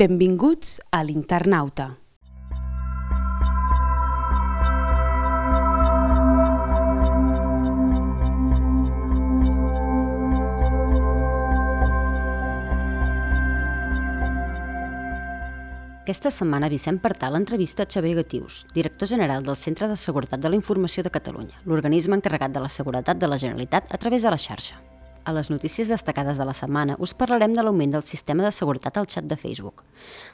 Benvinguts a l'Internauta. Aquesta setmana Vicent Partal entrevista a Xavier Gatius, director general del Centre de Seguretat de la Informació de Catalunya, l'organisme encarregat de la seguretat de la Generalitat a través de la xarxa. A les notícies destacades de la setmana us parlarem de l'augment del sistema de seguretat al xat de Facebook,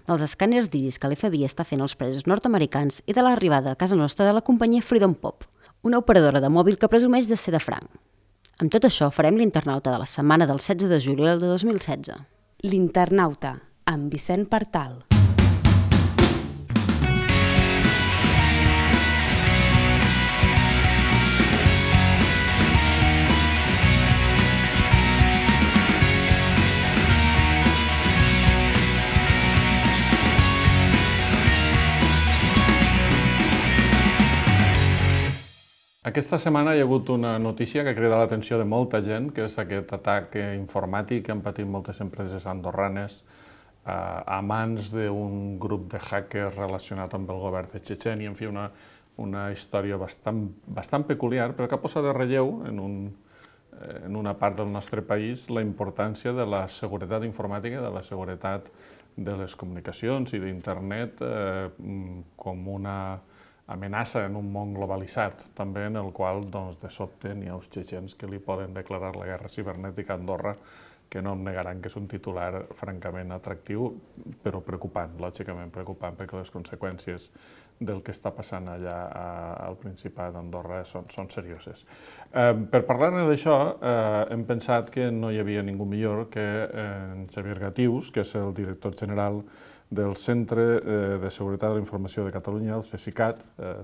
dels escàners d'iris que l'FBI està fent als presos nord-americans i de l'arribada a casa nostra de la companyia Freedom Pop, una operadora de mòbil que presumeix de ser de franc. Amb tot això farem l'Internauta de la setmana del 16 de juliol de 2016. L'Internauta, amb Vicent Partal. Aquesta setmana hi ha hagut una notícia que ha cridat l'atenció de molta gent, que és aquest atac informàtic que han patit moltes empreses andorranes a mans d'un grup de hackers relacionat amb el govern de Txetxènia. En fi, una història bastant peculiar, però que ha posat de relleu en una part del nostre país la importància de la seguretat informàtica, de la seguretat de les comunicacions i d'internet com una amenaça en un món globalitzat, també en el qual, de sobte, n'hi ha uns txetxens que li poden declarar la guerra cibernètica a Andorra, que no em negaran que és un titular francament atractiu, però preocupant, lògicament preocupant, perquè les conseqüències del que està passant allà al Principat d'Andorra són serioses. Per parlar-ne d'això, hem pensat que no hi havia ningú millor que en Xavier Gatius, que és el director general del Centre de Seguretat de la Informació de Catalunya, el CSICAT.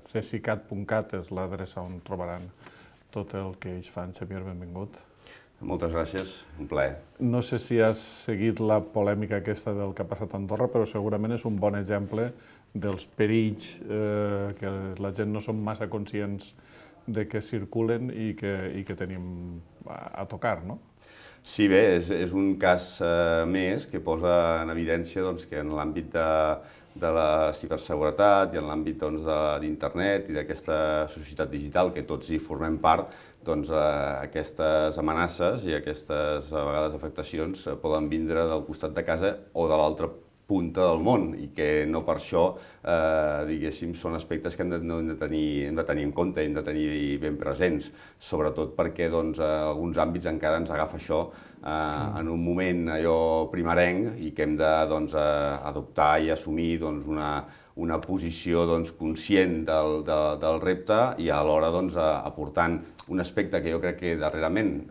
CSICAT.cat és l'adreça on trobaran tot el que ells fan. Xavier, benvingut. Moltes gràcies, un plaer. No sé si has seguit la polèmica aquesta del que ha passat a Andorra, però segurament és un bon exemple dels perills que la gent no som massa conscients de que circulen i que tenim a tocar, no? Sí, bé, és un cas més que posa en evidència que en l'àmbit de la ciberseguretat i en l'àmbit d'internet i d'aquesta societat digital que tots hi formem part, aquestes amenaces i aquestes, a vegades, afectacions poden vindre del costat de casa o de l'altra punta del món i que no per això, diguéssim, són aspectes que hem de tenir en compte, hem de tenir ben presents, sobretot perquè en alguns àmbits encara ens agafa això en un moment allò primerenc i que hem d'adoptar i assumir una posició conscient del repte i alhora aportant un aspecte que jo crec que darrerament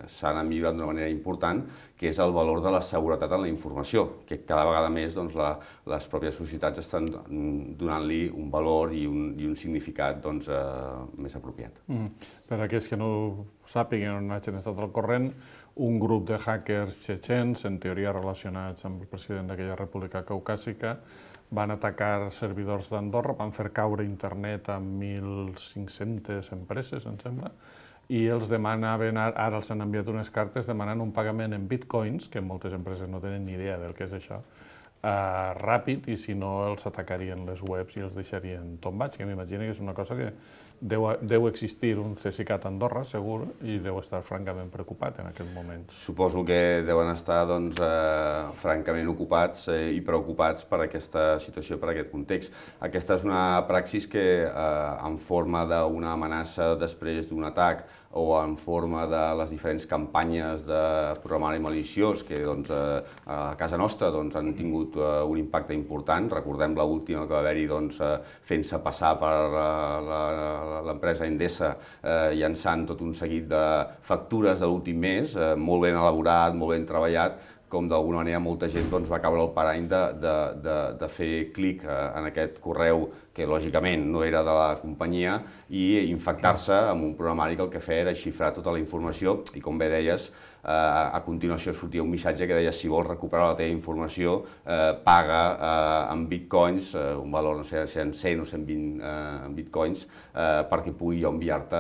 s'ha anat millorant d'una manera important, que és el valor de la seguretat en la informació, que cada vegada més les pròpies societats estan donant-li un valor i un significat més apropiat. Per a aquells que no ho sàpiguen o no hagin estat al corrent, un grup de hackers txetxens, en teoria relacionats amb el president d'aquella república caucàsica, van atacar servidors d'Andorra, van fer caure internet a 1.500 empreses, em sembla, i els demanaven, ara els han enviat unes cartes demanant un pagament en bitcoins, que moltes empreses no tenen ni idea del que és això, ràpid, i si no els atacarien les webs i els deixarien tombats, que m'imagino que és una cosa que deu existir un CSICAT a Andorra, segur, i deu estar francament preocupat en aquest moment. Suposo que deuen estar francament ocupats i preocupats per aquesta situació, per aquest context. Aquesta és una praxis que, en forma d'una amenaça després d'un atac o en forma de les diferents campanyes de programari maliciós que a casa nostra han tingut un impacte important. Recordem l'última que va haver-hi fent-se passar per l'empresa Endesa, llançant tot un seguit de factures de l'últim mes, molt ben elaborat, molt ben treballat, com d'alguna manera molta gent va caure al parany de fer clic en aquest correu que lògicament no era de la companyia i infectar-se amb un programari que el que feia era xifrar tota la informació i, com bé deies, a continuació sortia un missatge que deia si vols recuperar la teva informació paga en bitcoins, un valor no sé si en 100 o 120 bitcoins, perquè pugui jo enviar-te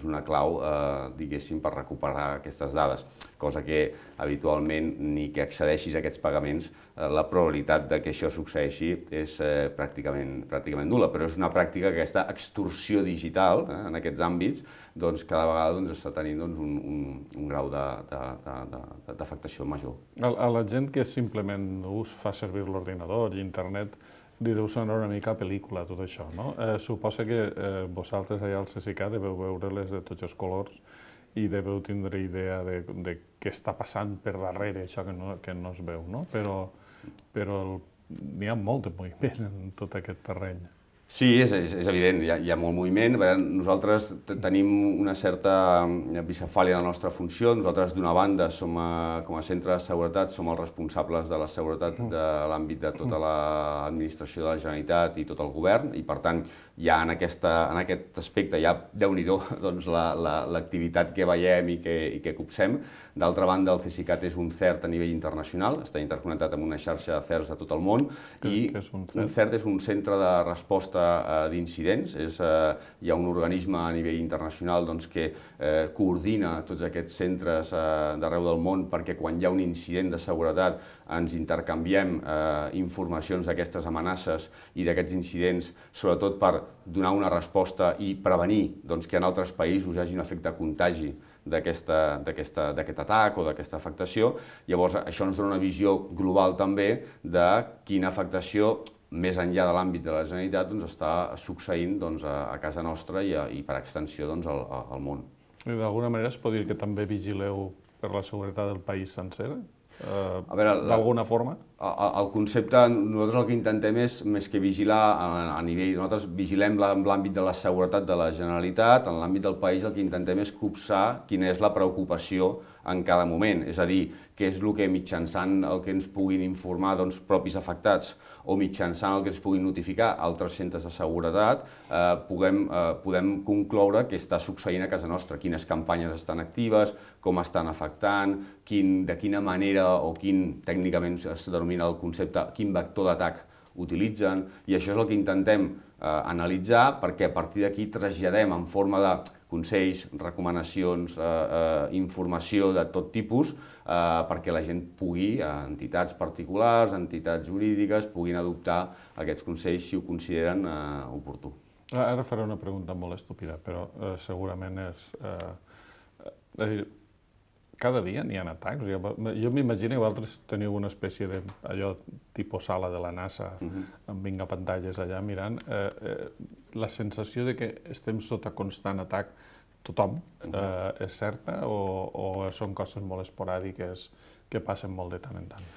una clau, diguéssim, per recuperar aquestes dades. cosa que habitualment ni que accedeixis a aquests pagaments, la probabilitat de que això succeeixi és pràcticament nul·la, però és una pràctica que aquesta extorsió digital en aquests àmbits cada vegada està tenint un grau d'afectació major. A la gent que simplement us fa servir l'ordinador i internet, li deu sonar una mica pel·lícula tot això, no? Suposa que vosaltres allà al CSIC deveu veure-les de tots els colors i deveu tindre idea de què està passant per darrere, això que no es veu, no? Però n'hi ha molt de moviment en tot aquest terreny. Sí, és evident, hi ha molt moviment. Nosaltres tenim una certa bicefàlia de la nostra funció. Nosaltres, d'una banda, com a centre de seguretat, som els responsables de la seguretat de l'àmbit de tota l'administració de la Generalitat i tot el govern, i per tant, ja en aquest aspecte, ja déu-n'hi-do l'activitat que veiem i que copsem. D'altra banda, el CSICAT és un CERT a nivell internacional, està interconnectat amb una xarxa de CERTs de tot el món, i un CERT és un centre de resposta d'incidents. Hi ha un organisme a nivell internacional que coordina tots aquests centres d'arreu del món perquè quan hi ha un incident de seguretat ens intercanviem informacions d'aquestes amenaces i d'aquests incidents, sobretot per donar una resposta i prevenir que en altres països hi hagi un efecte contagi d'aquest atac o d'aquesta afectació. Llavors, això ens dona una visió global també de quina afectació més enllà de l'àmbit de la Generalitat està succeint a casa nostra i per extensió al món. D'alguna manera es pot dir que també vigileu per la seguretat del país sencer? D'alguna forma? El concepte, nosaltres el que intentem és, més que vigilar a nivell, nosaltres vigilem l'àmbit de la seguretat de la Generalitat, en l'àmbit del país el que intentem és copsar quina és la preocupació en cada moment, és a dir, què és el que mitjançant el que ens puguin informar propis afectats o mitjançant el que ens puguin notificar altres centres de seguretat, podem concloure què està succeint a casa nostra, quines campanyes estan actives, com estan afectant, de quina manera o tècnicament es denomina el concepte, quin vector d'atac utilitzen, i això és el que intentem analitzar perquè a partir d'aquí traslladem en forma de consells, recomanacions, informació de tot tipus perquè la gent pugui, entitats particulars, entitats jurídiques, puguin adoptar aquests consells si ho consideren oportú. Ara faré una pregunta molt estúpida, però segurament és... Cada dia n'hi ha atacs? Jo m'imagino que vosaltres teniu una espècie d'allò tipus sala de la NASA, amb 20 pantalles allà mirant. La sensació de que estem sota constant atac tothom és certa o són coses molt esporàdiques que passen molt de tant en tant?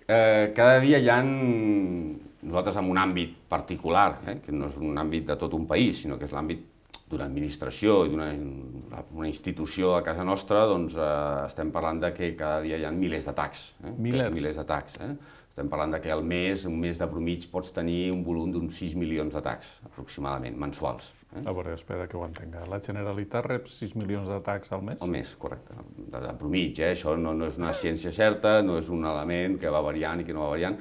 Cada dia hi ha, nosaltres en un àmbit particular, que no és un àmbit de tot un país, sinó que és l'àmbit d'una administració i d'una institució a casa nostra, doncs estem parlant que cada dia hi ha milers d'atacs. Milers d'atacs. Estem parlant que al mes, un mes de promig, pots tenir un volum d'uns 6 milions d'atacs, aproximadament, mensuals. A veure, espera que ho entenga. La Generalitat rep 6 milions d'atacs al mes? Al mes, correcte. De promig, això no és una ciència certa, no és un element que va variant i que no va variant.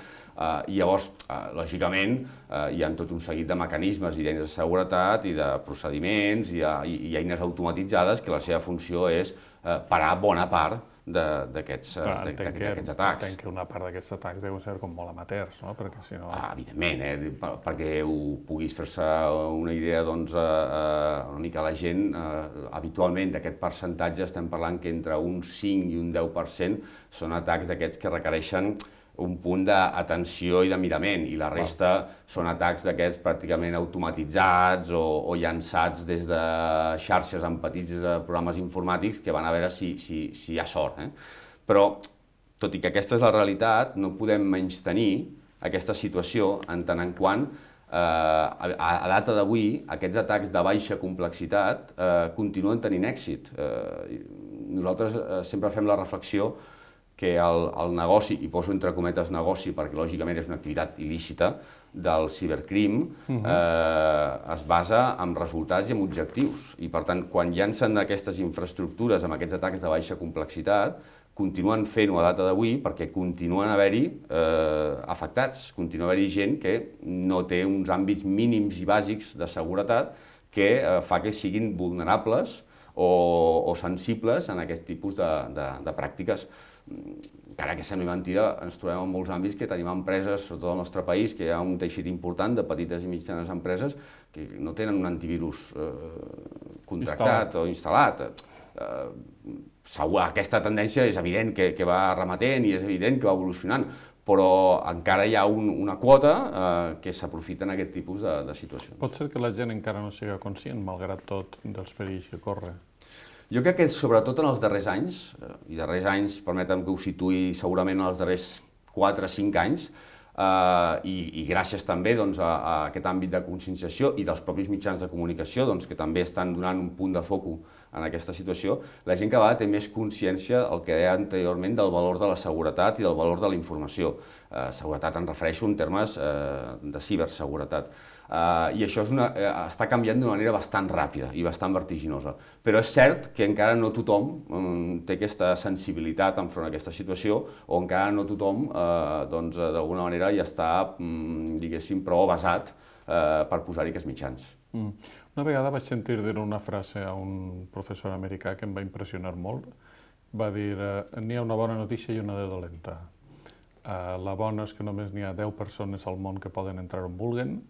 I llavors, lògicament, hi ha tot un seguit de mecanismes i d'eines de seguretat i de procediments i eines automatitzades que la seva funció és parar bona part d'aquests atacs. Entenc que una part d'aquests atacs deuen ser com molt amateurs, no? Perquè si no... Evidentment, perquè puguis fer-se una idea, doncs, una mica la gent, habitualment d'aquest percentatge estem parlant que entre un 5 i un 10% són atacs d'aquests que requereixen un punt d'atenció i de mirament, i la resta són atacs d'aquests pràcticament automatitzats o llançats des de xarxes amb petits programes informàtics que van a veure si hi ha sort. Però, tot i que aquesta és la realitat, no podem menystenir aquesta situació en tant en quant a data d'avui aquests atacs de baixa complexitat continuen tenint èxit. Nosaltres sempre fem la reflexió que el negoci, i poso entre cometes negoci perquè lògicament és una activitat il·lícita, del cibercrim es basa en resultats i en objectius. I per tant, quan llancen aquestes infraestructures amb aquests atacs de baixa complexitat, continuen fent-ho a data d'avui perquè continuen haver-hi afectats, continua haver-hi gent que no té uns àmbits mínims i bàsics de seguretat que fa que siguin vulnerables o sensibles en aquest tipus de pràctiques. Encara que sembli mentida, ens trobem en molts àmbits que tenim empreses, sobretot al nostre país, que hi ha un teixit important de petites i mitjanes empreses que no tenen un antivirus contractat o instal·lat. Aquesta tendència és evident que va remetent i és evident que va evolucionant, però encara hi ha una quota que s'aprofita en aquest tipus de situacions. Pot ser que la gent encara no sigui conscient, malgrat tot, dels perills que corre. Jo crec que sobretot en els darrers anys, i darrers anys, permetem que ho situï segurament en els darrers 4 o 5 anys, i gràcies també a aquest àmbit de conscienciació i dels propis mitjans de comunicació que també estan donant un punt de foc en aquesta situació, la gent cada vegada té més consciència del que deia anteriorment del valor de la seguretat i del valor de la informació. Seguretat em refereixo en termes de ciberseguretat. I això està canviant d'una manera bastant ràpida i bastant vertiginosa. Però és cert que encara no tothom té aquesta sensibilitat enfront a aquesta situació o encara no tothom d'alguna manera ja està, diguéssim, prou avasat per posar-hi aquests mitjans. Una vegada vaig sentir dir una frase a un professor americà que em va impressionar molt. Va dir, n'hi ha una bona notícia i una de dolenta. La bona és que només n'hi ha 10 persones al món que poden entrar on vulguen,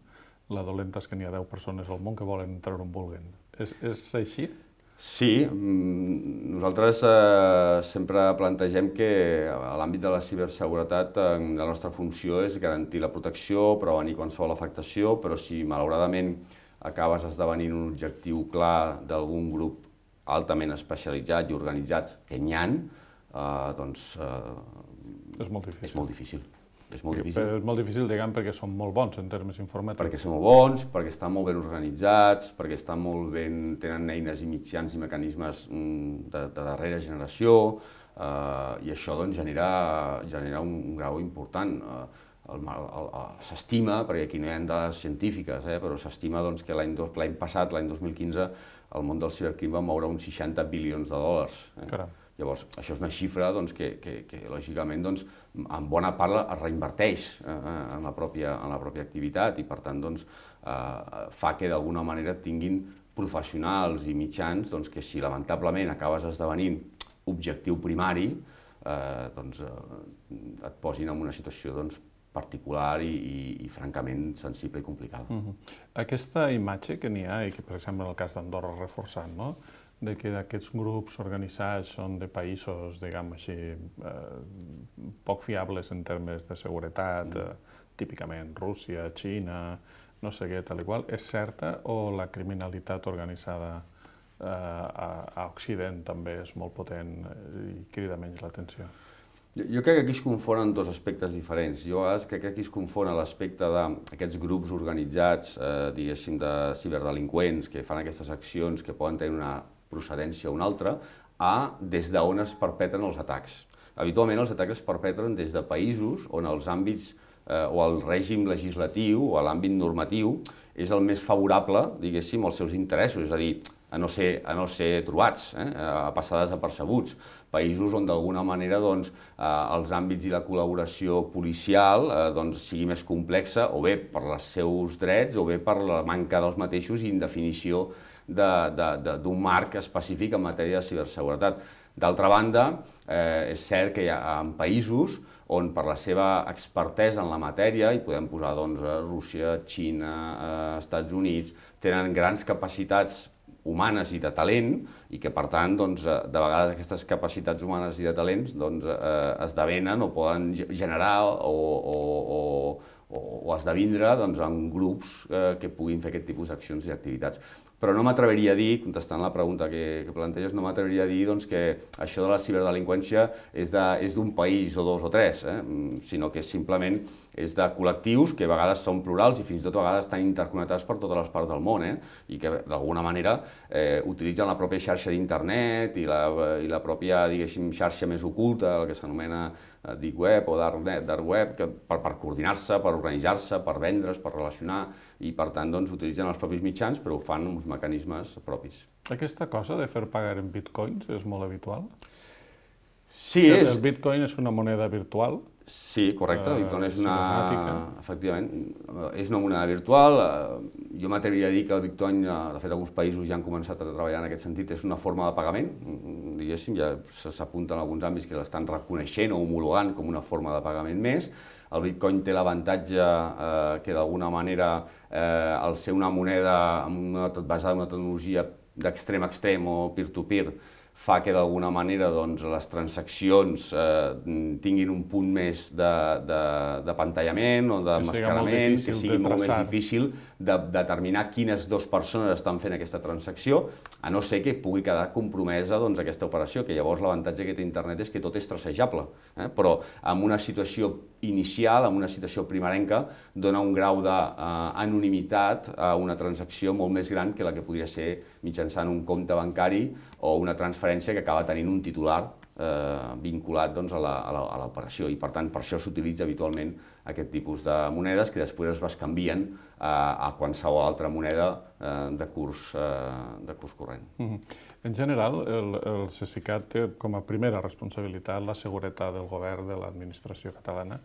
la dolenta és que n'hi ha 10 persones al món que volen entrar on vulguen. És així? Sí, nosaltres sempre plantegem que a l'àmbit de la ciberseguretat la nostra funció és garantir la protecció, prevenir qualsevol afectació, però si malauradament acabes esdevenint un objectiu clar d'algun grup altament especialitzat i organitzat, que n'hi ha, doncs és molt difícil. És molt difícil. És molt difícil, diguem, perquè són molt bons en termes informàtics. Perquè són molt bons, perquè estan molt ben organitzats, perquè tenen eines i mitjans i mecanismes de darrera generació, i això genera un grau important. S'estima, perquè aquí no hi ha dades científiques, però s'estima que l'any passat, l'any 2015, el món del cibercrim va moure uns 60 bilions de dòlars. Llavors, això és una xifra que lògicament, en bona part es reinverteix en la pròpia activitat i, per tant, fa que d'alguna manera tinguin professionals i mitjans que si lamentablement acabes esdevenint objectiu primari, et posin en una situació particular i francament sensible i complicada. Aquesta imatge que n'hi ha, i que per exemple en el cas d'Andorra ha reforçat, de que aquests grups organitzats són de països, diguem així, poc fiables en termes de seguretat, típicament Rússia, Xina, no sé què, tal i qual, és certa o la criminalitat organitzada a Occident també és molt potent i crida menys l'atenció? Jo crec que aquí es confonen dos aspectes diferents. Jo a vegades crec que aquí es confon l'aspecte d'aquests grups organitzats, diguéssim, de ciberdelinqüents que fan aquestes accions que poden tenir una procedència o una altra, des d'on es perpetren els atacs. Habitualment els atacs es perpetren des de països on els àmbits o el règim legislatiu o l'àmbit normatiu és el més favorable, diguéssim, als seus interessos, és a dir, a no ser trobats, a passar desapercebuts. Països on d'alguna manera els àmbits i la col·laboració policial sigui més complexa, o bé per els seus drets o bé per la manca dels mateixos i indefinició d'un marc específic en matèria de ciberseguretat. D'altra banda, és cert que hi ha països on per la seva expertesa en la matèria, i podem posar Rússia, Xina, Estats Units, tenen grans capacitats humanes i de talent, i que per tant, de vegades aquestes capacitats humanes i de talents esdevenen o poden generar o esdevindre en grups que puguin fer aquest tipus d'accions i activitats. Però no m'atreviria a dir, contestant la pregunta que planteges, no m'atreviria a dir que això de la ciberdelinqüència és d'un país o dos o tres, sinó que simplement és de col·lectius que a vegades són plurals i fins i tot a vegades estan interconnectats per totes les parts del món i que d'alguna manera utilitzen la pròpia xarxa d'internet i la pròpia, diguéssim, xarxa més oculta, el que s'anomena deep web o dark web, per coordinar-se, per organitzar-se, per vendre's, per relacionar, i per tant utilitzen els propis mitjans però ho fan amb uns mecanismes propis. Aquesta cosa de fer pagar en bitcoins és molt habitual? Sí, el bitcoin és una moneda virtual? Sí, correcte. Bitcoin és cibernètica. És una moneda virtual. Jo m'atreviria a dir que el Bitcoin, de fet, alguns països ja han començat a treballar en aquest sentit, és una forma de pagament, diguéssim, ja s'apunta en alguns àmbits que l'estan reconeixent o homologant com una forma de pagament més. El Bitcoin té l'avantatge que d'alguna manera, al ser una moneda basada en una tecnologia d'extrem a extrem o peer-to-peer, fa que d'alguna manera les transaccions tinguin un punt més d'apantallament o d'emmascarament, que sigui molt més difícil de determinar quines dues persones estan fent aquesta transacció, a no ser que pugui quedar compromesa aquesta operació, que llavors l'avantatge que té internet és que tot és tracejable, però en una situació inicial, en una situació primerenca, dona un grau d'anonimitat a una transacció molt més gran que la que podria ser mitjançant un compte bancari o una transferència que acaba tenint un titular vinculat a l'operació. I per tant, per això s'utilitza habitualment aquest tipus de monedes que després es bescanvien a qualsevol altra moneda de curs corrent. En general, el Cesicat té com a primera responsabilitat la seguretat del govern de l'administració catalana.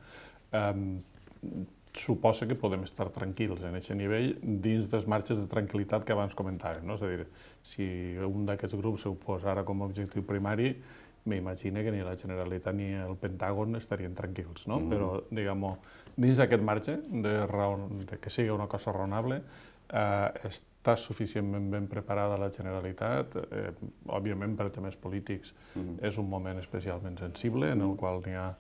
Suposa que podem estar tranquils en aquest nivell dins dels marges de tranquil·litat que abans comentàvem. És a dir, si un d'aquests grups s'ho posa ara com a objectiu primari, m'imagino que ni la Generalitat ni el Pentàgon estarien tranquils, no? Però, diguem-ho, dins d'aquest marge de que sigui una cosa raonable, està suficientment ben preparada la Generalitat. Òbviament, per temes polítics, és un moment especialment sensible en el qual n'hi ha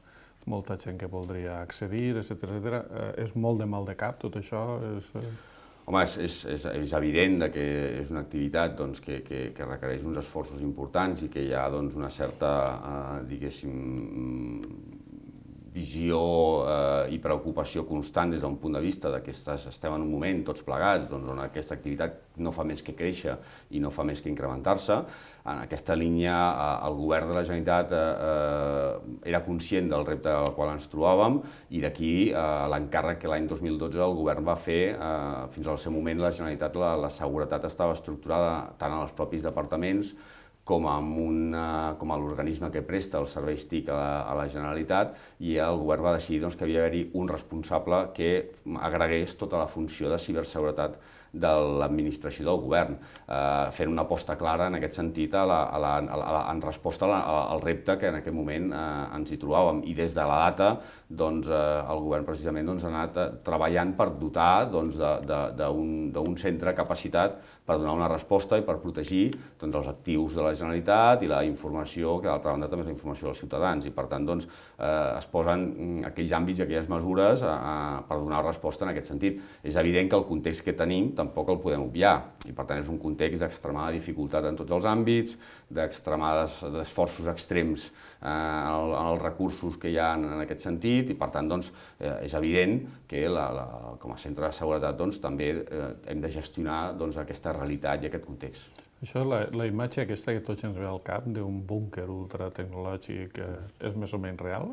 molta gent que voldria accedir, etc. És molt de mal de cap, tot això? Home, és evident que és una activitat que requereix uns esforços importants i que hi ha una certa, diguéssim, visió i preocupació constant des d'un punt de vista que estem en un moment tots plegats on aquesta activitat no fa més que créixer i no fa més que incrementar-se. En aquesta línia, el govern de la Generalitat era conscient del repte al qual ens trobàvem i d'aquí l'encàrrec que l'any 2012 el govern va fer. Fins al seu moment la Generalitat, la seguretat estava estructurada tant en els propis departaments com a l'organisme que presta els serveis TIC a la Generalitat, i el govern va decidir que havia d'haver-hi un responsable que agregués tota la funció de ciberseguretat de l'administració del govern, fent una aposta clara en aquest sentit en resposta al repte que en aquest moment ens hi trobàvem. I des de la data el govern precisament ha anat treballant per dotar d'un centre capacitat per donar una resposta i per protegir els actius de la Generalitat i la informació, que d'altra banda també és la informació dels ciutadans, i per tant es posen aquells àmbits i aquelles mesures per donar resposta en aquest sentit. És evident que el context que tenim tampoc el podem obviar, i per tant és un context d'extremada dificultat en tots els àmbits, d'extremades esforços extrems en els recursos que hi ha en aquest sentit, i per tant és evident que com a centre de seguretat també hem de gestionar aquesta realitat i aquest context. Això, la imatge aquesta que tots ens ve al cap d'un búnquer ultratecnològic és més o menys real?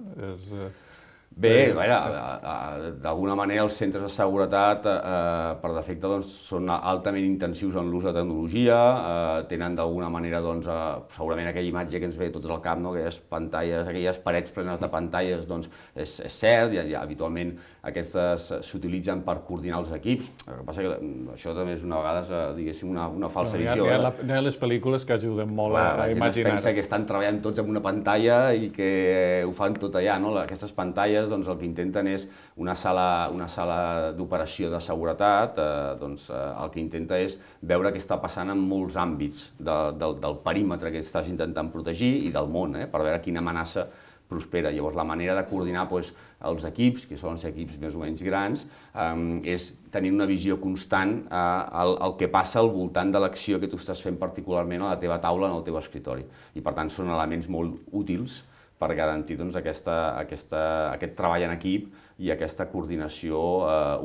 Bé, d'alguna manera els centres de seguretat per defecte són altament intensius en l'ús de tecnologia, tenen d'alguna manera segurament aquella imatge que ens ve tots al cap, aquelles pantalles, aquelles parets plenes de pantalles, és cert, i habitualment aquestes s'utilitzen per coordinar els equips. El que passa que això també és una vegada, diguéssim, una falsa visió. Hi ha les pel·lícules que ajuden molt a imaginar. La gent es pensa que estan treballant tots en una pantalla i que ho fan tot allà. Aquestes pantalles el que intenten és una sala d'operació de seguretat, el que intenta és veure què està passant en molts àmbits del perímetre que estàs intentant protegir i del món, per veure quina amenaça prospera. Llavors, la manera de coordinar els equips, que solen ser equips més o menys grans, és tenir una visió constant al que passa al voltant de l'acció que tu estàs fent particularment a la teva taula, en el teu escritori. I, per tant, són elements molt útils per garantir aquest treball en equip i aquesta coordinació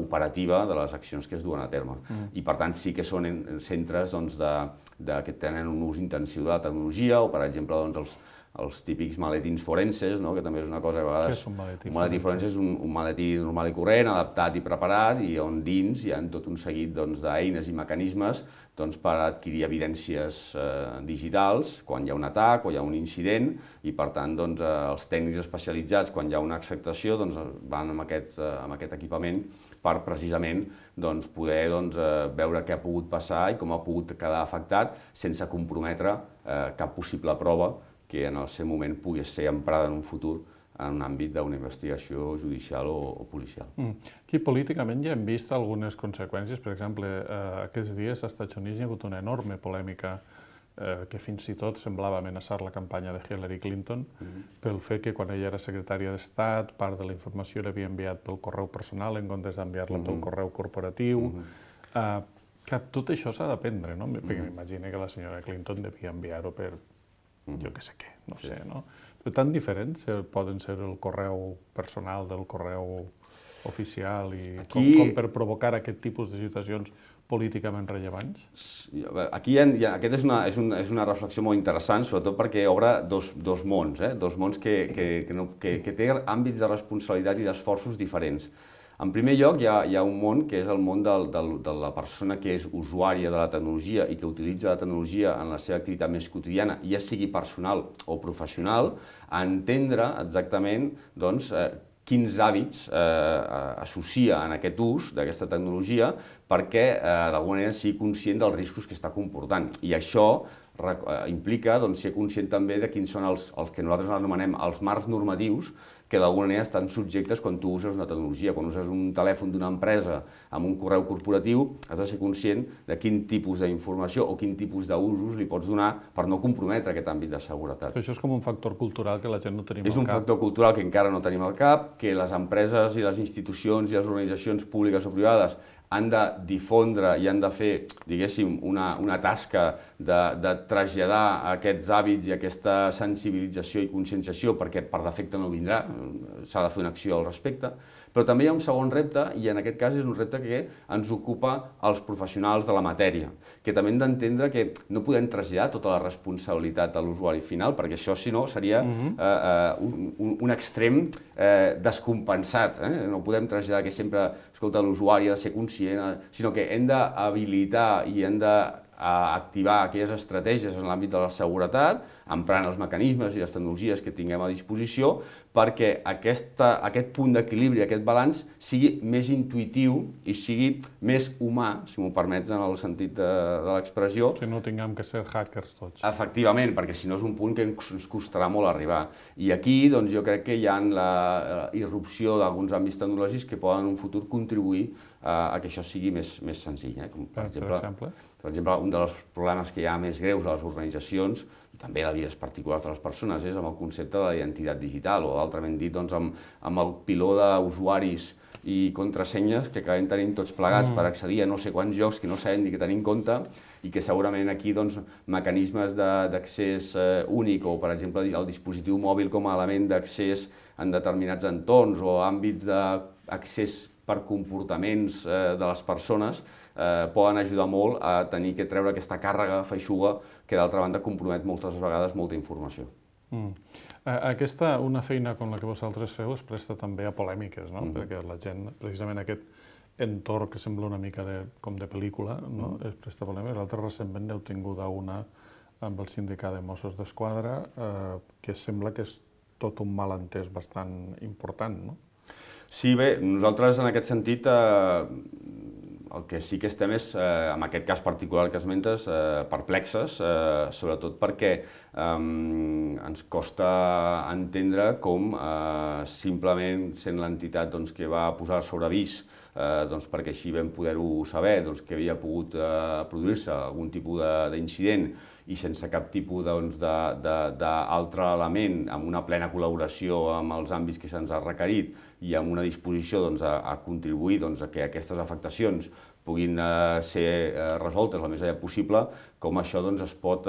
operativa de les accions que es duen a terme. I, per tant, sí que són centres que tenen un ús intensiu de la tecnologia, o, per exemple, els típics maletins forenses, no? Que també és una cosa a vegades... Què és un maletí Un maletí forense és un maletí normal i corrent, adaptat i preparat, i on dins hi ha tot un seguit d'eines i mecanismes per adquirir evidències digitals quan hi ha un atac o hi ha un incident, i per tant els tècnics especialitzats, quan hi ha una acceptació, van amb aquest equipament per precisament poder veure què ha pogut passar i com ha pogut quedar afectat sense comprometre cap possible prova que en el seu moment pugui ser emprada en un futur en un àmbit d'una investigació judicial o policial. Aquí políticament ja hem vist algunes conseqüències. Per exemple, aquests dies als Estats Units hi ha hagut una enorme polèmica que fins i tot semblava amenaçar la campanya de Hillary Clinton pel fet que quan ella era secretària d'Estat part de la informació l'havia enviat pel correu personal en comptes d'enviar-la pel correu corporatiu. Que tot això s'ha d'aprendre, no? Perquè m'imagino que la senyora Clinton devia enviar-ho per jo què sé què, no sé, no? Però tan diferents poden ser el correu personal del correu oficial i com per provocar aquest tipus de situacions políticament rellevants? Aquí aquesta és una reflexió molt interessant, sobretot perquè obre dos mons, dos mons que tenen àmbits de responsabilitat i d'esforços diferents. En primer lloc, hi ha un món que és el món de la persona que és usuària de la tecnologia i que utilitza la tecnologia en la seva activitat més quotidiana, ja sigui personal o professional, a entendre exactament quins hàbits associa en aquest ús d'aquesta tecnologia perquè d'alguna manera sigui conscient dels riscos que està comportant. I això implica ser conscient també de quins són els que nosaltres anomenem els marcs normatius que d'alguna manera estan subjectes quan tu uses una tecnologia. Quan uses un telèfon d'una empresa amb un correu corporatiu, has de ser conscient de quin tipus d'informació o quin tipus d'usos li pots donar per no comprometre aquest àmbit de seguretat. Però això és com un factor cultural que la gent no tenim al cap. És un factor cultural que encara no tenim al cap, que les empreses i les institucions i les organitzacions públiques o privades han de difondre i han de fer, diguéssim, una tasca de traslladar aquests hàbits i aquesta sensibilització i conscienciació perquè per defecte no vindrà, s'ha de fer una acció al respecte. Però també hi ha un segon repte, i en aquest cas és un repte que ens ocupa els professionals de la matèria, que també hem d'entendre que no podem traslladar tota la responsabilitat a l'usuari final, perquè això, si no, seria un extrem descompensat. No podem traslladar que sempre, escolta, l'usuari ha de ser conscient, sinó que hem d'habilitar i hem d'activar aquelles estratègies en l'àmbit de la seguretat, emprant els mecanismes i les tecnologies que tinguem a disposició, perquè aquest punt d'equilibri, aquest balanç, sigui més intuïtiu i sigui més humà, si m'ho permets en el sentit de l'expressió. Que no tinguem que ser hackers tots. Efectivament, perquè si no és un punt que ens costarà molt arribar. I aquí jo crec que hi ha la irrupció d'alguns àmbits tecnològics que poden en un futur contribuir a que això sigui més senzill. Per exemple, un dels problemes que hi ha més greus a les organitzacions i també a les vides particulars de les persones és amb el concepte de la identitat digital, o altrament dit amb el piló d'usuaris i contrasenyes que acabem tenint tots plegats per accedir a no sé quants jocs que no sabem ni què tenir en compte i que segurament aquí mecanismes d'accés únic o, per exemple, el dispositiu mòbil com a element d'accés en determinats entorns o àmbits d'accés per comportaments de les persones poden ajudar molt a tenir que treure aquesta càrrega feixuga que d'altra banda compromet moltes vegades molta informació. Una feina com la que vosaltres feu es presta també a polèmiques, no? Perquè la gent, precisament aquest entorn que sembla una mica com de pel·lícula, es presta a polèmiques. L'altre recentment n'heu tingut una amb el sindicat de Mossos d'Esquadra que sembla que és tot un malentès bastant important, no? Sí, bé, nosaltres en aquest sentit el que sí que estem és, en aquest cas particular que esmentes, perplexes, sobretot perquè ens costa entendre com simplement sent l'entitat que va posar sobre avís, perquè així vam poder-ho saber, que havia pogut produir-se algun tipus d'incident i sense cap tipus d'altre element, amb una plena col·laboració amb els àmbits que se'ns ha requerit i amb una disposició a contribuir a que aquestes afectacions puguin ser resoltes el més aviat possible, com això es pot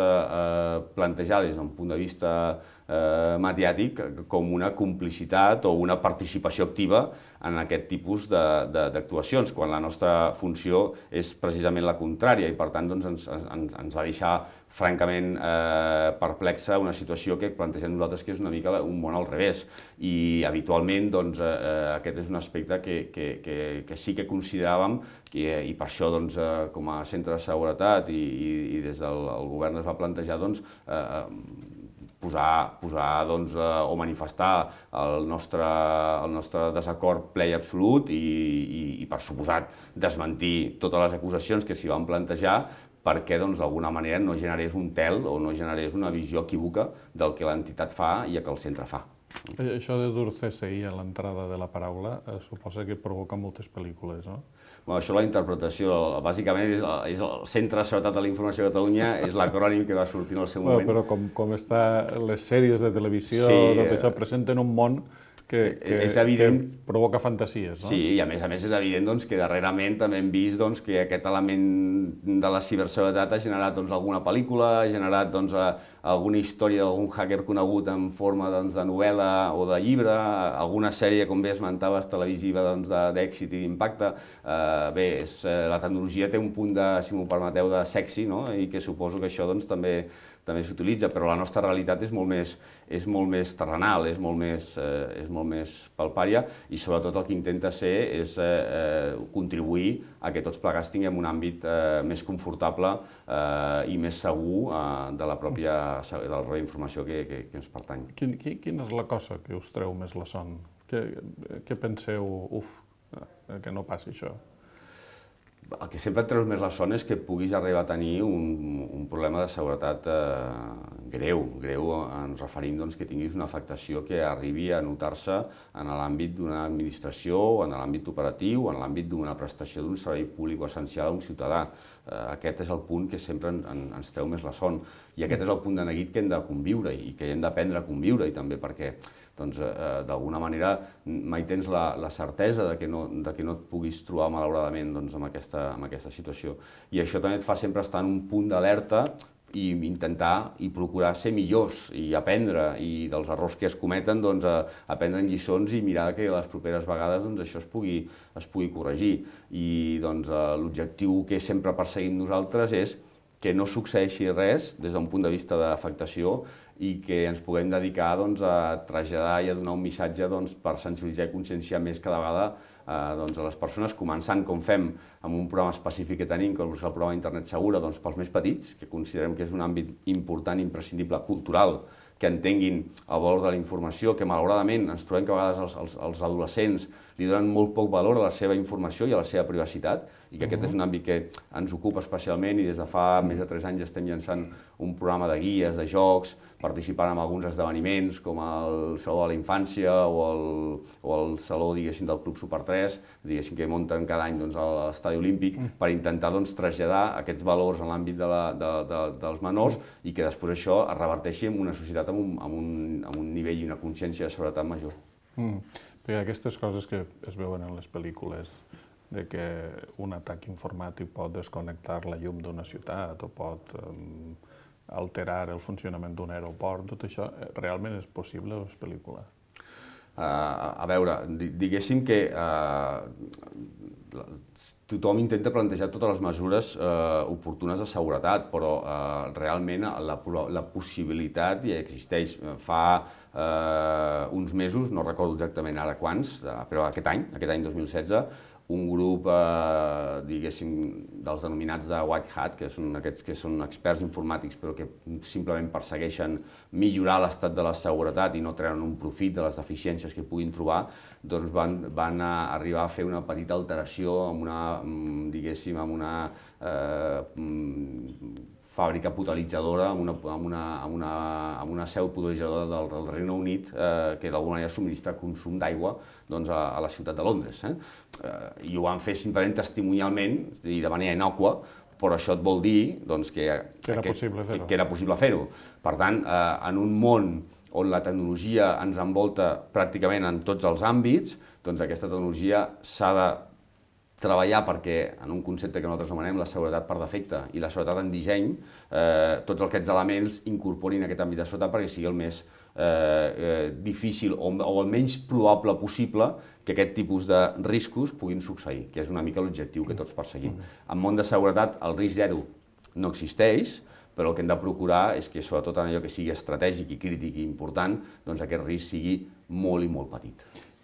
plantejar des d'un punt de vista mediàtic com una complicitat o una participació activa en aquest tipus d'actuacions, quan la nostra funció és precisament la contrària i per tant ens va deixar francament perplexa una situació que plantegem nosaltres que és una mica un món al revés i habitualment aquest és un aspecte que sí que consideràvem i per això com a centre de seguretat i des del govern es va plantejar posar o manifestar el nostre desacord ple i absolut i per suposat desmentir totes les acusacions que s'hi van plantejar perquè d'alguna manera no generés un tel o no generés una visió equívoca del que l'entitat fa i el que el centre fa. Això de dur CSI a l'entrada de la paraula suposa que provoca moltes pel·lícules, no? Això la interpretació, bàsicament és el Centre de Seguretat de la Informació de Catalunya, és l'acrònim que va sortir en el seu moment. Però com està les sèries de televisió, tot això presenten un món que provoca fantasies, no? Sí, i a més és evident que darrerament també hem vist que aquest element de la ciberseguretat ha generat alguna pel·lícula, ha generat alguna història d'algun hacker conegut en forma de novel·la o de llibre, alguna sèrie, com bé esmentaves, televisiva d'èxit i d'impacte. Bé, la tecnologia té un punt, si m'ho permeteu, de sexy, i que suposo que això també s'utilitza, però la nostra realitat és molt més terrenal, és molt més palpària i sobretot el que intenta ser és contribuir a que tots plegats tinguem un àmbit més confortable i més segur de la pròpia informació que ens pertany. Quina és la cosa que us treu més la son? Què penseu, que no passi això? El que sempre et treus més la son és que puguis arribar a tenir un problema de seguretat greu. Ens referim que tinguis una afectació que arribi a notar-se en l'àmbit d'una administració, en l'àmbit operatiu, en l'àmbit d'una prestació d'un servei públic o essencial a un ciutadà. Aquest és el punt que sempre ens treu més la son. I aquest és el punt de neguit que hem de conviure i que hem d'aprendre a conviure i també perquè d'alguna manera mai tens la certesa que no et puguis trobar malauradament amb aquesta situació. I això també et fa sempre estar en un punt d'alerta i intentar i procurar ser millors i aprendre i dels errors que es cometen aprendre lliçons i mirar que les properes vegades això es pugui corregir. I l'objectiu que sempre perseguim nosaltres és que no succeeixi res des d'un punt de vista d'afectació i que ens puguem dedicar a traslladar i a donar un missatge per sensibilitzar i conscienciar més cada vegada a les persones, començant, com fem, amb un programa específic que tenim, com és el programa Internet Segura, pels més petits, que considerem que és un àmbit important, imprescindible, cultural, que entenguin el valor de la informació, que malauradament ens trobem que a vegades els adolescents li donen molt poc valor a la seva informació i a la seva privacitat, i que aquest és un àmbit que ens ocupa especialment i des de fa més de 3 anys estem llançant un programa de guies, de jocs, participant en alguns esdeveniments com el Saló de la Infància o el Saló, diguéssim, del Club Super 3, diguéssim, que munten cada any a l'Estadi Olímpic per intentar traslladar aquests valors en l'àmbit dels menors i que després això es reverteixi en una societat amb un nivell i una consciència de seguretat major. Perquè aquestes coses que es veuen en les pel·lícules, de que un atac informàtic pot desconnectar la llum d'una ciutat o pot alterar el funcionament d'un aeroport, tot això realment és possible a les pel·lícules? A veure, diguéssim que tothom intenta plantejar totes les mesures oportunes de seguretat, però realment la possibilitat ja existeix. Fa uns mesos, no recordo exactament ara quants, però aquest any 2016, un grup, diguéssim, dels denominats de White Hat, que són aquests que són experts informàtics però que simplement persegueixen millorar l'estat de la seguretat i no treuen un profit de les deficiències que puguin trobar, doncs van arribar a fer una petita alteració amb una fàbrica potabilitzadora, amb una seu potabilitzadora del Regne Unit que d'alguna manera subministra consum d'aigua a la ciutat de Londres. I ho van fer simplement testimonialment i de manera innòcua, però això et vol dir que era possible fer-ho. Per tant, en un món on la tecnologia ens envolta pràcticament en tots els àmbits, doncs aquesta tecnologia s'ha de treballar perquè, en un concepte que nosaltres anomenem la seguretat per defecte i la seguretat en disseny, tots aquests elements incorporin aquest àmbit de seguretat perquè sigui el més difícil o el menys probable possible que aquest tipus de riscos puguin succeir, que és una mica l'objectiu que tots perseguim. En món de seguretat el risc zero no existeix, però el que hem de procurar és que, sobretot en allò que sigui estratègic i crític i important, doncs aquest risc sigui molt i molt petit.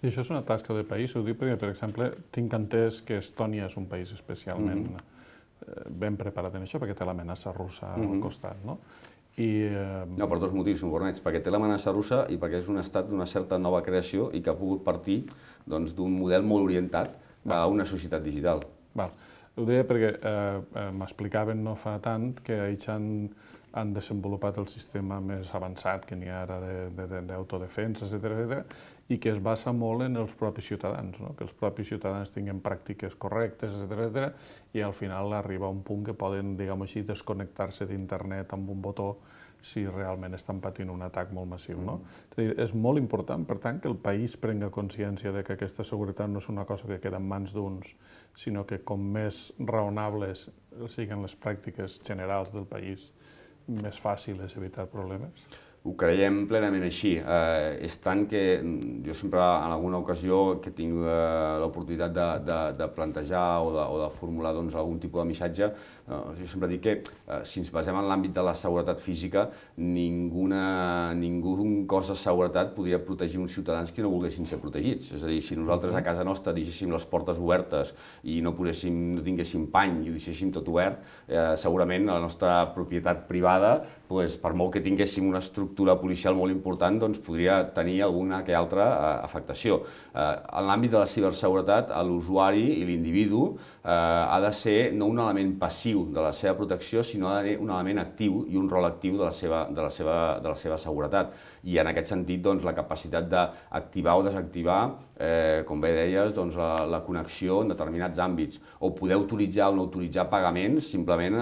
I això és una tasca de país, ho dic perquè, per exemple, tinc entès que Estònia és un país especialment ben preparat en això, perquè té l'amenaça russa al costat, no? No, per dos motius, si m'ho permets, perquè té l'amenaça russa i perquè és un estat d'una certa nova creació i que ha pogut partir d'un model molt orientat a una societat digital. Ho deia perquè m'explicaven no fa tant que ells han desenvolupat el sistema més avançat que n'hi ha ara d'autodefensa, etcètera, i que es basa molt en els propis ciutadans, que els propis ciutadans tinguin pràctiques correctes, etcètera, i al final arriba a un punt que poden, diguem-ho així, desconnectar-se d'internet amb un botó si realment estan patint un atac molt massiu. És molt important, per tant, que el país prenga consciència de que aquesta seguretat no és una cosa que queda en mans d'uns, sinó que com més raonables siguin les pràctiques generals del país, més fàcil és evitar problemes? Ho creiem plenament així. És tant que jo sempre, en alguna ocasió que tinc l'oportunitat de plantejar o de formular algun tipus de missatge, jo sempre dic que si ens basem en l'àmbit de la seguretat física, ningú cos de seguretat podria protegir uns ciutadans que no volguessin ser protegits. És a dir, si nosaltres a casa nostra deixéssim les portes obertes i no tinguéssim pany i ho deixéssim tot obert, segurament la nostra propietat privada, per molt que tinguéssim una estructura policial molt important, doncs podria tenir alguna que altra afectació. En l'àmbit de la ciberseguretat, l'usuari i l'individu ha de ser no un element passiu de la seva protecció, sinó ha de ser un element actiu i un rol actiu de la seva seguretat. I en aquest sentit, la capacitat d'activar o desactivar, com bé deies, la connexió en determinats àmbits, o poder autoritzar o no autoritzar pagaments simplement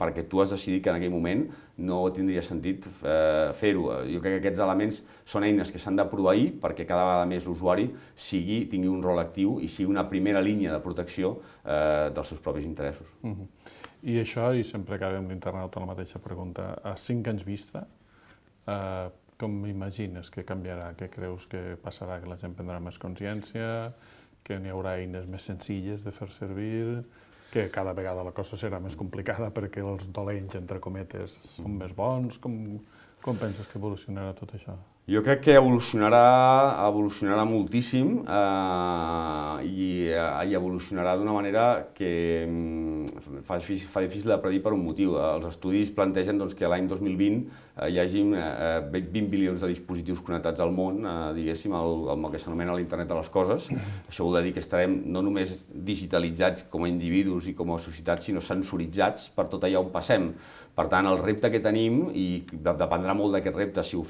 perquè tu has decidit que en aquell moment no tindria sentit fer-ho. Jo crec que aquests elements són eines que s'han de proveir perquè cada vegada més l'usuari tingui un rol actiu i sigui una primera línia de protecció dels seus propis interessos. I això, i sempre acabem l'internauta la mateixa pregunta, a 5 anys vista, com imagines que canviarà? Què creus que passarà? Que la gent prendrà més consciència? Que n'hi haurà eines més senzilles de fer servir? Que cada vegada la cosa serà més complicada perquè els dolents, entre cometes, són més bons? Com penses que evolucionarà tot això? Jo crec que evolucionarà moltíssim i evolucionarà d'una manera que fa difícil de predir per un motiu. Els estudis plantegen que l'any 2020 hi hagi 20 bilions de dispositius connectats al món, diguéssim, el que s'anomena l'internet de les coses. Això vol dir que estarem no només digitalitzats com a individus i com a societat, sinó sensoritzats per tot allà on passem. Per tant, el repte que tenim, i dependrà molt d'aquest repte, si ho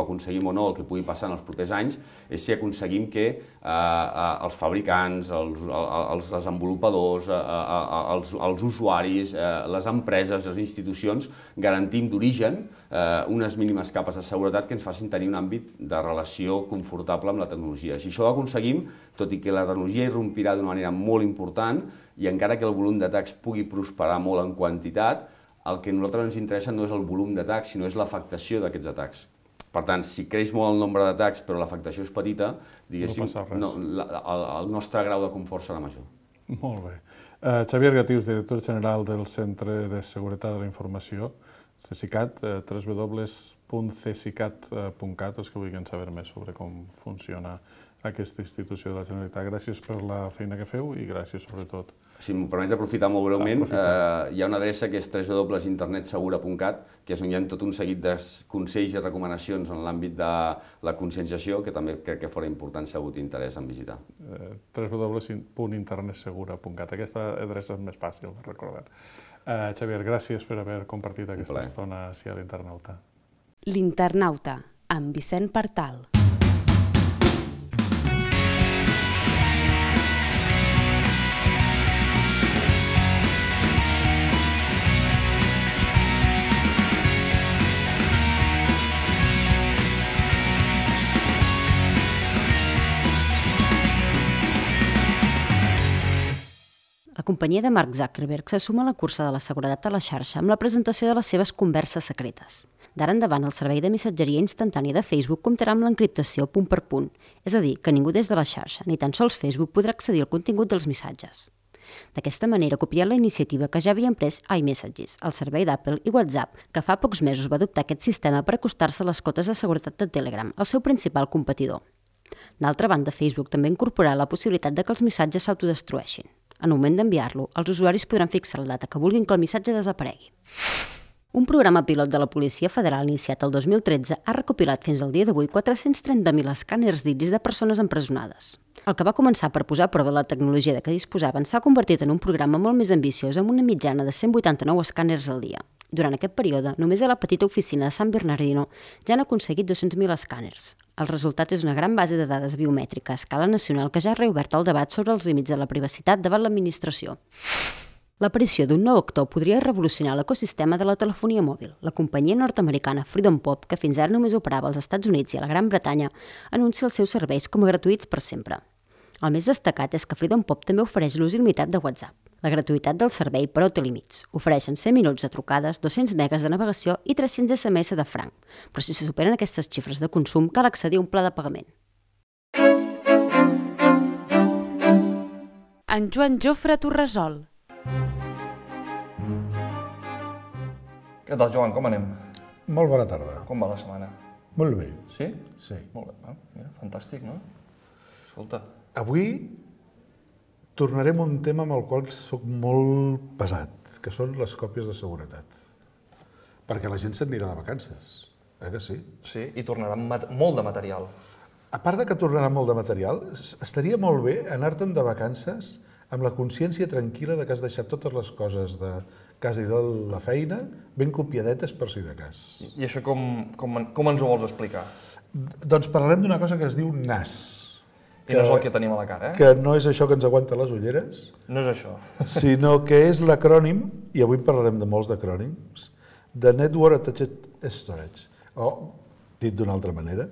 aconseguim o no, el que pugui passar en els propers anys, és si aconseguim que els fabricants, els desenvolupadors, els usuaris, les empreses, les institucions, garantim d'origen unes mínimes capes de seguretat que ens facin tenir un àmbit de relació confortable amb la tecnologia. Si això ho aconseguim, tot i que la tecnologia irrompirà d'una manera molt important, i encara que el volum d'atacs pugui prosperar molt en quantitat, el que a nosaltres ens interessa no és el volum d'atacs, sinó és l'afectació d'aquests atacs. Per tant, si creix molt el nombre d'atacs però l'afectació és petita, diguéssim, el nostre grau de confort serà major. Molt bé. Xavier Gatius, director general del Centre de Seguretat de la Informació, CSICAT, www.csicat.cat, els que vulguin saber més sobre com funciona aquesta institució de la Generalitat. Gràcies per la feina que feu i gràcies sobretot. Si m'ho permets aprofitar molt breument, hi ha una adreça que és www.internetsegura.cat, que és on hi ha tot un seguit de consells i recomanacions en l'àmbit de la conscienciació, que també crec que fora important si algú té interès en visitar. www.internetsegura.cat. Aquesta adreça és més fàcil de recordar. Xavier, gràcies per haver compartit aquesta estona així a l'Internauta. L'Internauta, amb Vicent Partal. La companyia de Mark Zuckerberg se suma a la cursa de la seguretat a la xarxa amb la presentació de les seves converses secretes. D'ara endavant, el servei de missatgeria instantània de Facebook comptarà amb l'encriptació punt per punt, és a dir, que ningú des de la xarxa, ni tan sols Facebook, podrà accedir al contingut dels missatges. D'aquesta manera, copiant la iniciativa que ja havien pres iMessages, el servei d'Apple i WhatsApp, que fa pocs mesos va adoptar aquest sistema per acostar-se a les cotes de seguretat de Telegram, el seu principal competidor. D'altra banda, Facebook també incorporarà la possibilitat de que els missatges s'autodestrueixin. En el moment d'enviar-lo, els usuaris podran fixar la data que vulguin que el missatge desaparegui. Un programa pilot de la Policia Federal iniciat el 2013 ha recopilat fins al dia d'avui 430.000 escàners d'iris de persones empresonades. El que va començar per posar a prova la tecnologia de què disposaven s'ha convertit en un programa molt més ambiciós amb una mitjana de 189 escàners al dia. Durant aquest període, només a la petita oficina de San Bernardino ja han aconseguit 200.000 escàners. El resultat és una gran base de dades biomètrica a escala nacional que ja ha reobert el debat sobre els límits de la privacitat davant l'administració. L'aparició d'un nou actor podria revolucionar l'ecosistema de la telefonia mòbil. La companyia nord-americana Freedom Pop, que fins ara només operava als Estats Units i a la Gran Bretanya, anuncia els seus serveis com a gratuïts per sempre. El més destacat és que Freedom Pop també ofereix l'ús il·limitat de WhatsApp. La gratuïtat del servei, però, té límits. Ofereixen 100 minuts de trucades, 200 megas de navegació i 300 SMS de franc. Però si se superen aquestes xifres de consum, cal accedir a un pla de pagament. En Joan Jofre t'ho resol. Què tal, Joan? Com anem? Molt bona tarda. Com va la setmana? Molt bé. Sí? Sí. Molt bé. Mira, fantàstic, no? Escolta. Avui tornarem a un tema amb el qual soc molt pesat, que són les còpies de seguretat. Perquè la gent se'n anirà de vacances, que sí? Sí, i tornarà molt de material. A part de que tornarà molt de material, estaria molt bé anar-te'n de vacances amb la consciència tranquil·la de que has deixat totes les coses de casa i de la feina ben copiadetes per si de cas. I això com ens ho vols explicar? Doncs parlarem d'una cosa que es diu NAS. I no és el que tenim a la cara, eh? Que no és això que ens aguanta les ulleres, No és això. sinó que és l'acrònim, i avui en parlarem de molts d'acrònims, de Network Attached Storage, o, dit d'una altra manera,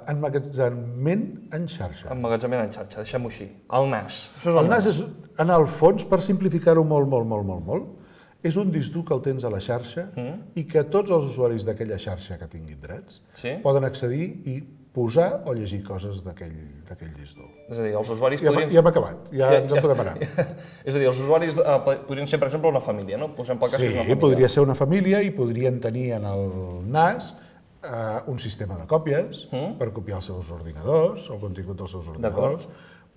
emmagatzemament en xarxa. Emmagatzemament en xarxa, deixem-ho així. El NAS. Això és El NAS és, en el fons, per simplificar-ho molt, és un disc dur que el tens a la xarxa i que tots els usuaris d'aquella xarxa que tinguin drets poden accedir i posar o llegir coses d'aquell disc dur. És a dir, els usuaris podrien... Ja hem acabat, ja ens en podem anar. És a dir, els usuaris podrien ser, per exemple, una família, no? Posem pel cas que és una família. Sí, podria ser una família i podrien tenir en el NAS un sistema de còpies per copiar els seus ordinadors, el contingut dels seus ordinadors.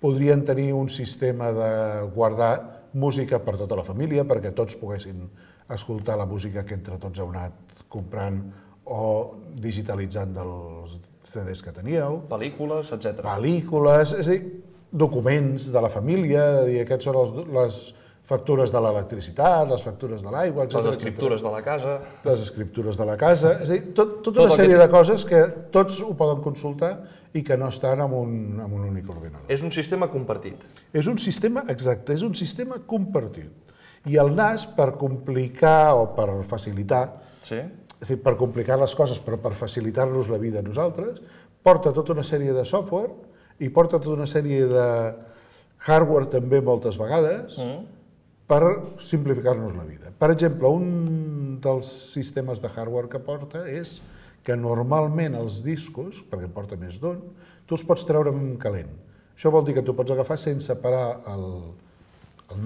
Podrien tenir un sistema de guardar música per tota la família perquè tots poguessin escoltar la música que entre tots heu anat comprant o digitalitzant dels CDs que teníeu. Pel·lícules, etc. Pel·lícules, és a dir, documents de la família, aquests són les factures de l'electricitat, les factures de l'aigua, etc. Les escriptures de la casa. Les escriptures de la casa, és a dir, tota una sèrie de coses que tots ho poden consultar i que no estan en un únic ordinador. És un sistema compartit. És un sistema, exacte, és un sistema compartit. I el NAS, per complicar o per facilitar, és a dir, per complicar les coses, però per facilitar-nos la vida a nosaltres, porta tota una sèrie de software i porta tota una sèrie de hardware també moltes vegades per simplificar-nos la vida. Per exemple, un dels sistemes de hardware que porta és que normalment els discos, perquè en porta més d'un, tu els pots treure en calent. Això vol dir que tu pots agafar sense parar el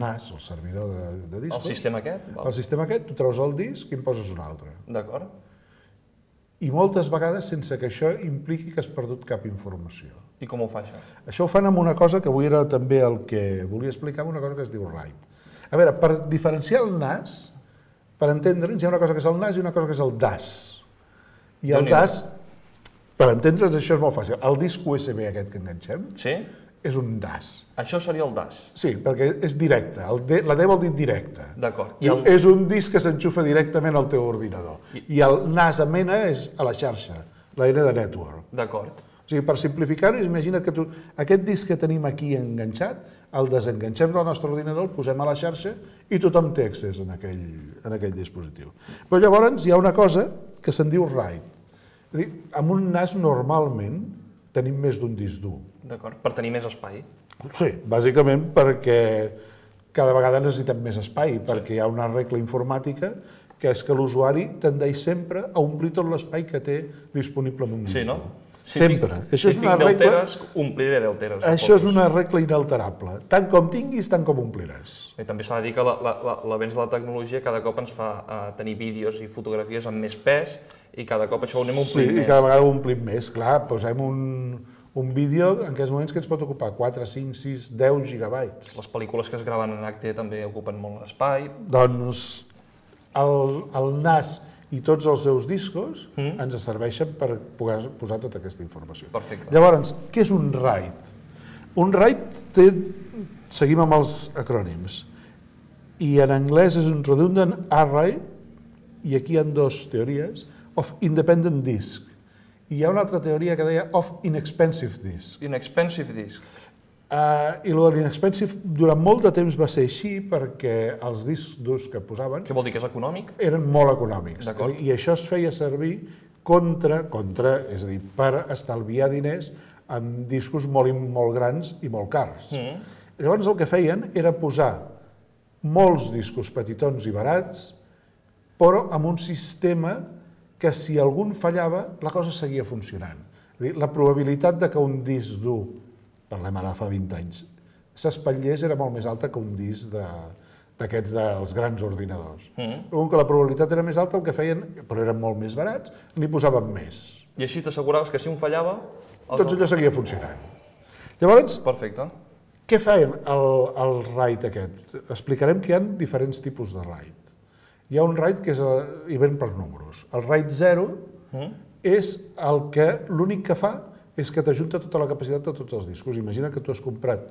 NAS, el servidor de discos. El sistema aquest? El sistema aquest, tu treus el disc i en poses un altre. D'acord. I moltes vegades sense que això impliqui que has perdut cap informació. I com ho fa això? Això ho fan amb una cosa que avui era també el que volia explicar, una cosa que es diu RAID. A veure, per diferenciar el NAS, per entendre'ns, hi ha una cosa que és el NAS i una cosa que és el DAS. I el DAS, per entendre'ns, això és molt fàcil. El disc USB aquest que enganxem és un DAS. Això seria el DAS? Sí, perquè és directe. La D vol dir directe. D'acord. És un disc que s'enxufa directament al teu ordinador. I el NAS amb N és a la xarxa, la N de network. D'acord. O sigui, per simplificar-ho, imagina't que aquest disc que tenim aquí enganxat, el desenganxem del nostre ordinador, el posem a la xarxa i tothom té accés en aquell dispositiu. Però llavors hi ha una cosa que se'n diu RAID. És a dir, amb un NAS normalment tenim més d'un disc dur. D'acord, per tenir més espai. Sí, bàsicament perquè cada vegada necessitem més espai, perquè hi ha una regla informàtica que és que l'usuari tendeix sempre a omplir tot l'espai que té disponible en un disc. Sí, no? Sempre. Si tinc 10 teres, ompliré 10 teres. Això és una regla inalterable. Tant com tinguis, tant com ompliràs. I també s'ha de dir que l'avenç de la tecnologia cada cop ens fa tenir vídeos i fotografies amb més pes i cada cop això ho anem omplint més. Sí, i cada vegada ho omplim més. Clar, posem un vídeo en aquests moments que ens pot ocupar 4, 5, 6, 10 gigabytes. Les pel·lícules que es graven en HD també ocupen molt l'espai. Doncs el NAS i tots els seus discos ens serveixen per poder posar tota aquesta informació. Perfecte. Llavors, què és un RAID? Un RAID seguim amb els acrònims, i en anglès és un Redundant Array, i aquí hi ha dues teories, of Independent Disk. I hi ha una altra teoria que deia of Inexpensive Disk. Inexpensive Disk. I l'Inexpensive durant molt de temps va ser així perquè els discs durs que posaven Què vol dir, que és econòmic? eren molt econòmics. I això es feia servir és a dir, per estalviar diners amb discos molt grans i molt cars. Llavors el que feien era posar molts discos petitons i barats, però amb un sistema que si algun fallava, la cosa seguia funcionant. És a dir, la probabilitat de que un disc dur, parlem ara fa 20 anys, s'espatllés era molt més alta que un disc d'aquests dels grans ordinadors. Com que la probabilitat era més alta, el que feien, però eren molt més barats, n'hi posaven més. I així t'asseguraves que si un fallava... Doncs allò seguia funcionant. Llavors, perfecte. Què feien el RAID aquest? Explicarem que hi ha diferents tipus de RAID. Hi ha un RAID que hi ven per números. El RAID 0 és el que l'únic que fa és que t'ajunta tota la capacitat de tots els discos. Imagina que tu has comprat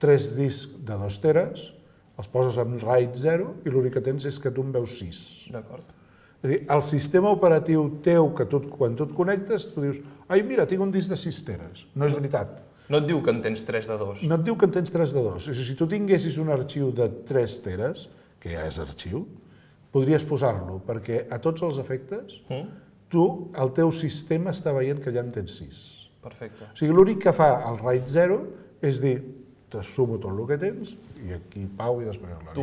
3 discs de 2 teres, els poses en RAID 0 i l'únic que tens és que tu en veus 6. D'acord. És a dir, el sistema operatiu teu, que quan tu et connectes, tu dius ai, mira, tinc un disc de 6 teres. No és veritat. No et diu que en tens 3 de 2. No et diu que en tens 3 de 2. És a dir, si tu tinguessis un arxiu de 3 teres, que ja és arxiu, podries posar-lo, perquè a tots els efectes, el teu sistema està veient que ja en tens 6. Perfecte. O sigui, l'únic que fa el RAID 0 és dir, te sumo tot el que tens, i aquí Pau i després l'Ari.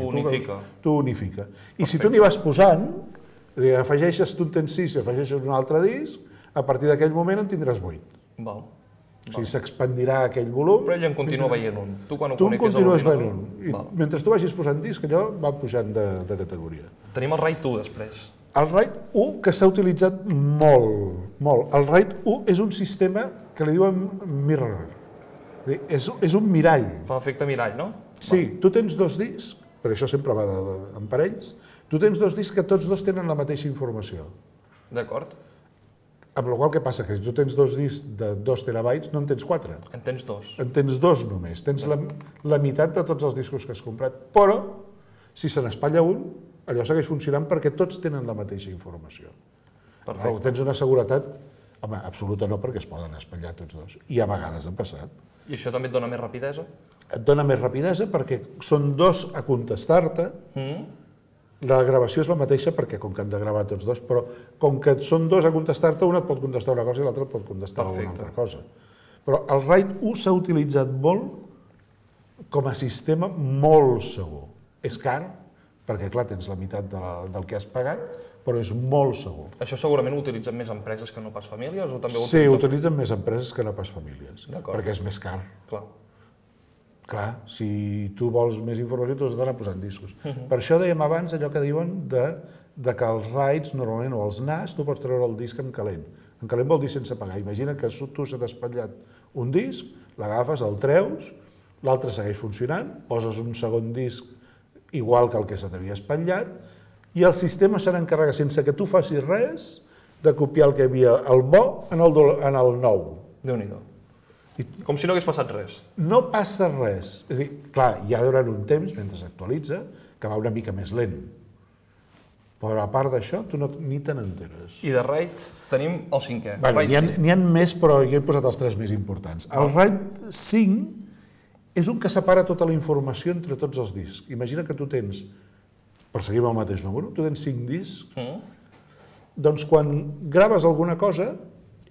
Tu unifica. I si tu n'hi vas posant, afegeixes, tu en tens 6 i afegeixes un altre disc, a partir d'aquell moment en tindràs 8. Val. O sigui, s'expandirà aquell volum. Però ell en continua veient un. Tu quan ho tu connectes continues veient un. I mentre tu vagis posant disc, allò va pujant de categoria. Tenim el RAID 1 després. El RAID 1, que s'ha utilitzat molt. El RAID 1 és un sistema que li diuen mirror. És un mirall. Fa efecte mirall, no? Sí, tu tens 2 discs, perquè això sempre va en parells, tu tens 2 discs que tots 2 tenen la mateixa informació. D'acord. Amb la qual cosa, què passa? Que si tu tens 2 discs de 2 terabytes, no en tens 4. En tens 2. En tens 2 només. Tens la meitat de tots els discos que has comprat. Però, si se n'espatlla un, allò segueix funcionant perquè tots tenen la mateixa informació. Perfecte. Tens una seguretat, home, absoluta no, perquè es poden espatllar tots 2. I a vegades han passat. I això també et dona més rapidesa? Et dona més rapidesa perquè són 2 a contestar-te. La gravació és la mateixa perquè com que han de gravar tots 2, però com que són 2 a contestar-te, un et pot contestar una cosa i l'altre et pot contestar una altra cosa. Però el RAID 1 s'ha utilitzat molt com a sistema molt segur. És car, perquè clar, tens la meitat del que has pagat, però és molt segur. Això segurament ho utilitzen més empreses que no pas famílies? O també Sí, ho utilitzen més empreses que no pas famílies, perquè és més car. Clar, si tu vols més informació, tu has d'anar posant discos. Per això dèiem abans allò que diuen que els RAIDs, normalment, o els NAS, tu pots treure el disc en calent. En calent vol dir sense pagar. Imagina que tu s'ha espatllat un disc, l'agafes, el treus, l'altre segueix funcionant, poses un segon disc igual que el que se t'havia espatllat, i el sistema se n'encarrega, sense que tu facis res, de copiar el que hi havia el bo en el nou. Déu-n'hi-do. Com si no hagués passat res. No passa res. És a dir, clar, ja durant un temps, mentre s'actualitza, que va una mica més lent. Però a part d'això, tu ni te n'enteres. I de RAID tenim el 5è. N'hi ha més, però jo he posat els 3 més importants. El RAID 5 és un que separa tota la informació entre tots els discs. Imagina que tu tens, per seguir amb el mateix número, tu tens 5 discs, doncs quan graves alguna cosa,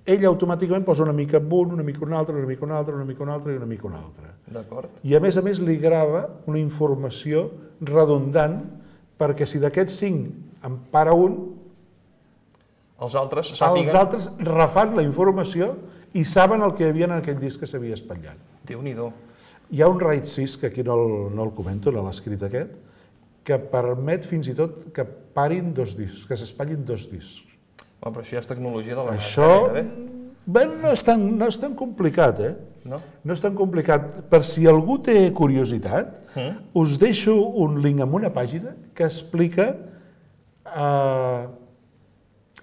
ell automàticament posa una mica un, una mica un altre, una mica un altre, una mica un altre i una mica un altre. D'acord. I a més li grava una informació redundant perquè si d'aquests 5 en para un, Els altres sàpiguen... els altres refan la informació i saben el que hi havia en aquell disc que s'havia espatllat. Déu-n'hi-do. Hi ha un RAID 6, que aquí no el comento, no l'ha escrit aquest, que permet fins i tot que parin 2 discs, que s'espatllin 2 discs. Però això ja és tecnologia de la Això no és tan complicat, No? No és tan complicat. Per si algú té curiositat, us deixo un link amb una pàgina que explica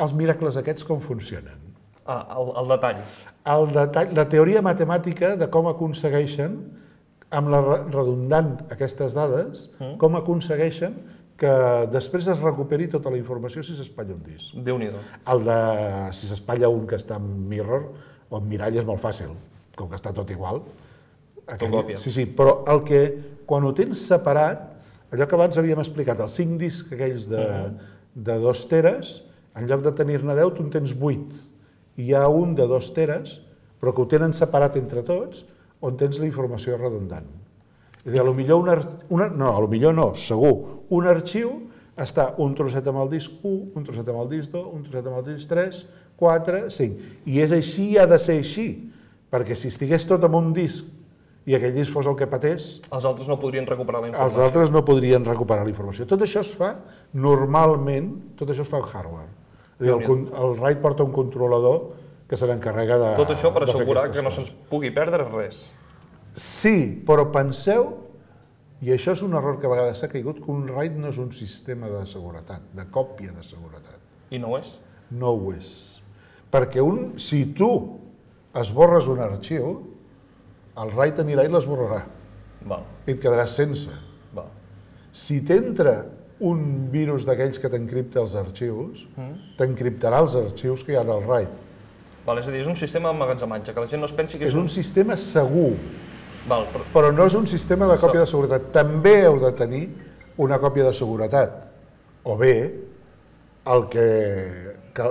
els miracles aquests com funcionen. El detall. La teoria matemàtica de com aconsegueixen, amb la redundant aquestes dades, com aconsegueixen que després es recuperi tota la informació si s'espatlla un disc. Déu-n'hi-do. Si s'espatlla un que està en mirror o en mirall és molt fàcil, com que està tot igual. còpia. Sí, però el que, quan ho tens separat, allò que abans havíem explicat, els 5 discs aquells de 2 teres, en lloc de tenir-ne 10, tu en tens 8. I hi ha un de 2 teres, però que ho tenen separat entre tots, on tens la informació redundant. És a dir, potser no, segur, un arxiu està un trosset amb el disc 1, un trosset amb el disc 2, un trosset amb el disc 3, 4, 5. I és així i ha de ser així, perquè si estigués tot en un disc i aquell disc fos el que patés, els altres no podrien recuperar la informació. els altres no podrien recuperar la informació. Tot això es fa normalment, tot això es fa en hardware. És a dir, el RAID porta un controlador que se n'encarrega de... Tot això per assegurar que no se'ns pugui perdre res. Sí, però penseu, i això és un error que a vegades s'ha caigut, que un RAID no és un sistema de seguretat, de còpia de seguretat. I no ho és? No ho és. Perquè si tu esborres un arxiu, el RAID anirà i l'esborrarà. I et quedaràs sense. Si t'entra un virus d'aquells que t'encripta els arxius, t'encriptarà els arxius que hi ha al RAID. És a dir, és un sistema d'emmagatzematge, que la gent no es pensi que és un sistema segur, però no és un sistema de còpia de seguretat. També heu de tenir una còpia de seguretat. O bé,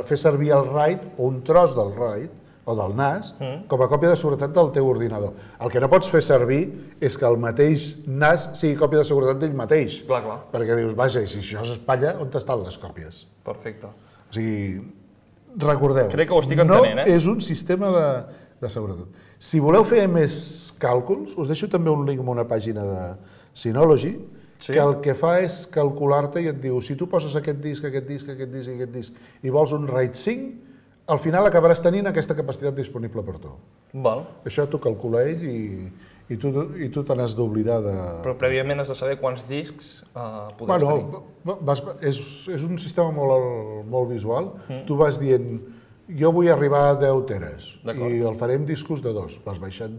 fer servir el RAID o un tros del RAID o del NAS com a còpia de seguretat del teu ordinador. El que no pots fer servir és que el mateix NAS sigui còpia de seguretat d'ell mateix. Perquè dius, vaja, i si això s'espatlla, on estan les còpies? Perfecte. O sigui, recordeu, crec que ho estic entenent, no és un sistema de seguretat. Si voleu fer més càlculs, us deixo també un link amb una pàgina de Synology, que el que fa és calcular-te i et diu, si tu poses aquest disc, aquest disc, aquest disc i aquest disc i vols un RAID 5, al final acabaràs tenint aquesta capacitat disponible per tu. Això t'ho calcula ell i tu te n'has d'oblidar de... Però prèviament has de saber quants discs podràs tenir. És un sistema molt visual. Tu vas dient, jo vull arribar a 10 teres i el farem discos de 2. Vas baixant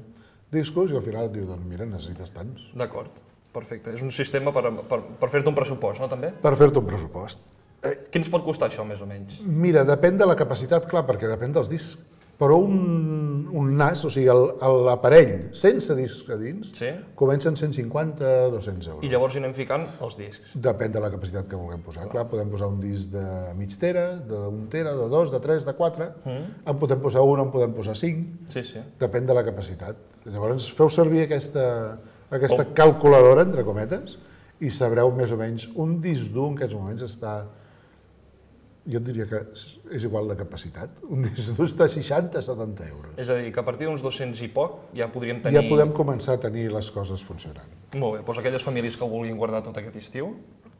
discos i al final et diu, doncs mira, necessites tants. D'acord, perfecte. És un sistema per fer-te un pressupost, no, també? Per fer-te un pressupost. Què ens pot costar això, més o menys? Mira, depèn de la capacitat, clar, perquè depèn dels discs. Però un NAS, o sigui, l'aparell sense discs a dins, comença en 150-200 euros. I llavors hi anem ficant els discs? Depèn de la capacitat que vulguem posar. Clar, podem posar un disc de mig tera, d'un tera, de 2, de 3, de 4, en podem posar 1, en podem posar 5, depèn de la capacitat. Llavors feu servir aquesta calculadora, entre cometes, i sabreu més o menys, un disc dur en aquests moments està... Jo et diria que és igual la capacitat. Un disc dur està a 60-70 euros. És a dir, que a partir d'uns 200 i poc ja podríem tenir... Ja podem començar a tenir les coses funcionant. Molt bé, doncs aquelles famílies que ho vulguin guardar tot aquest estiu,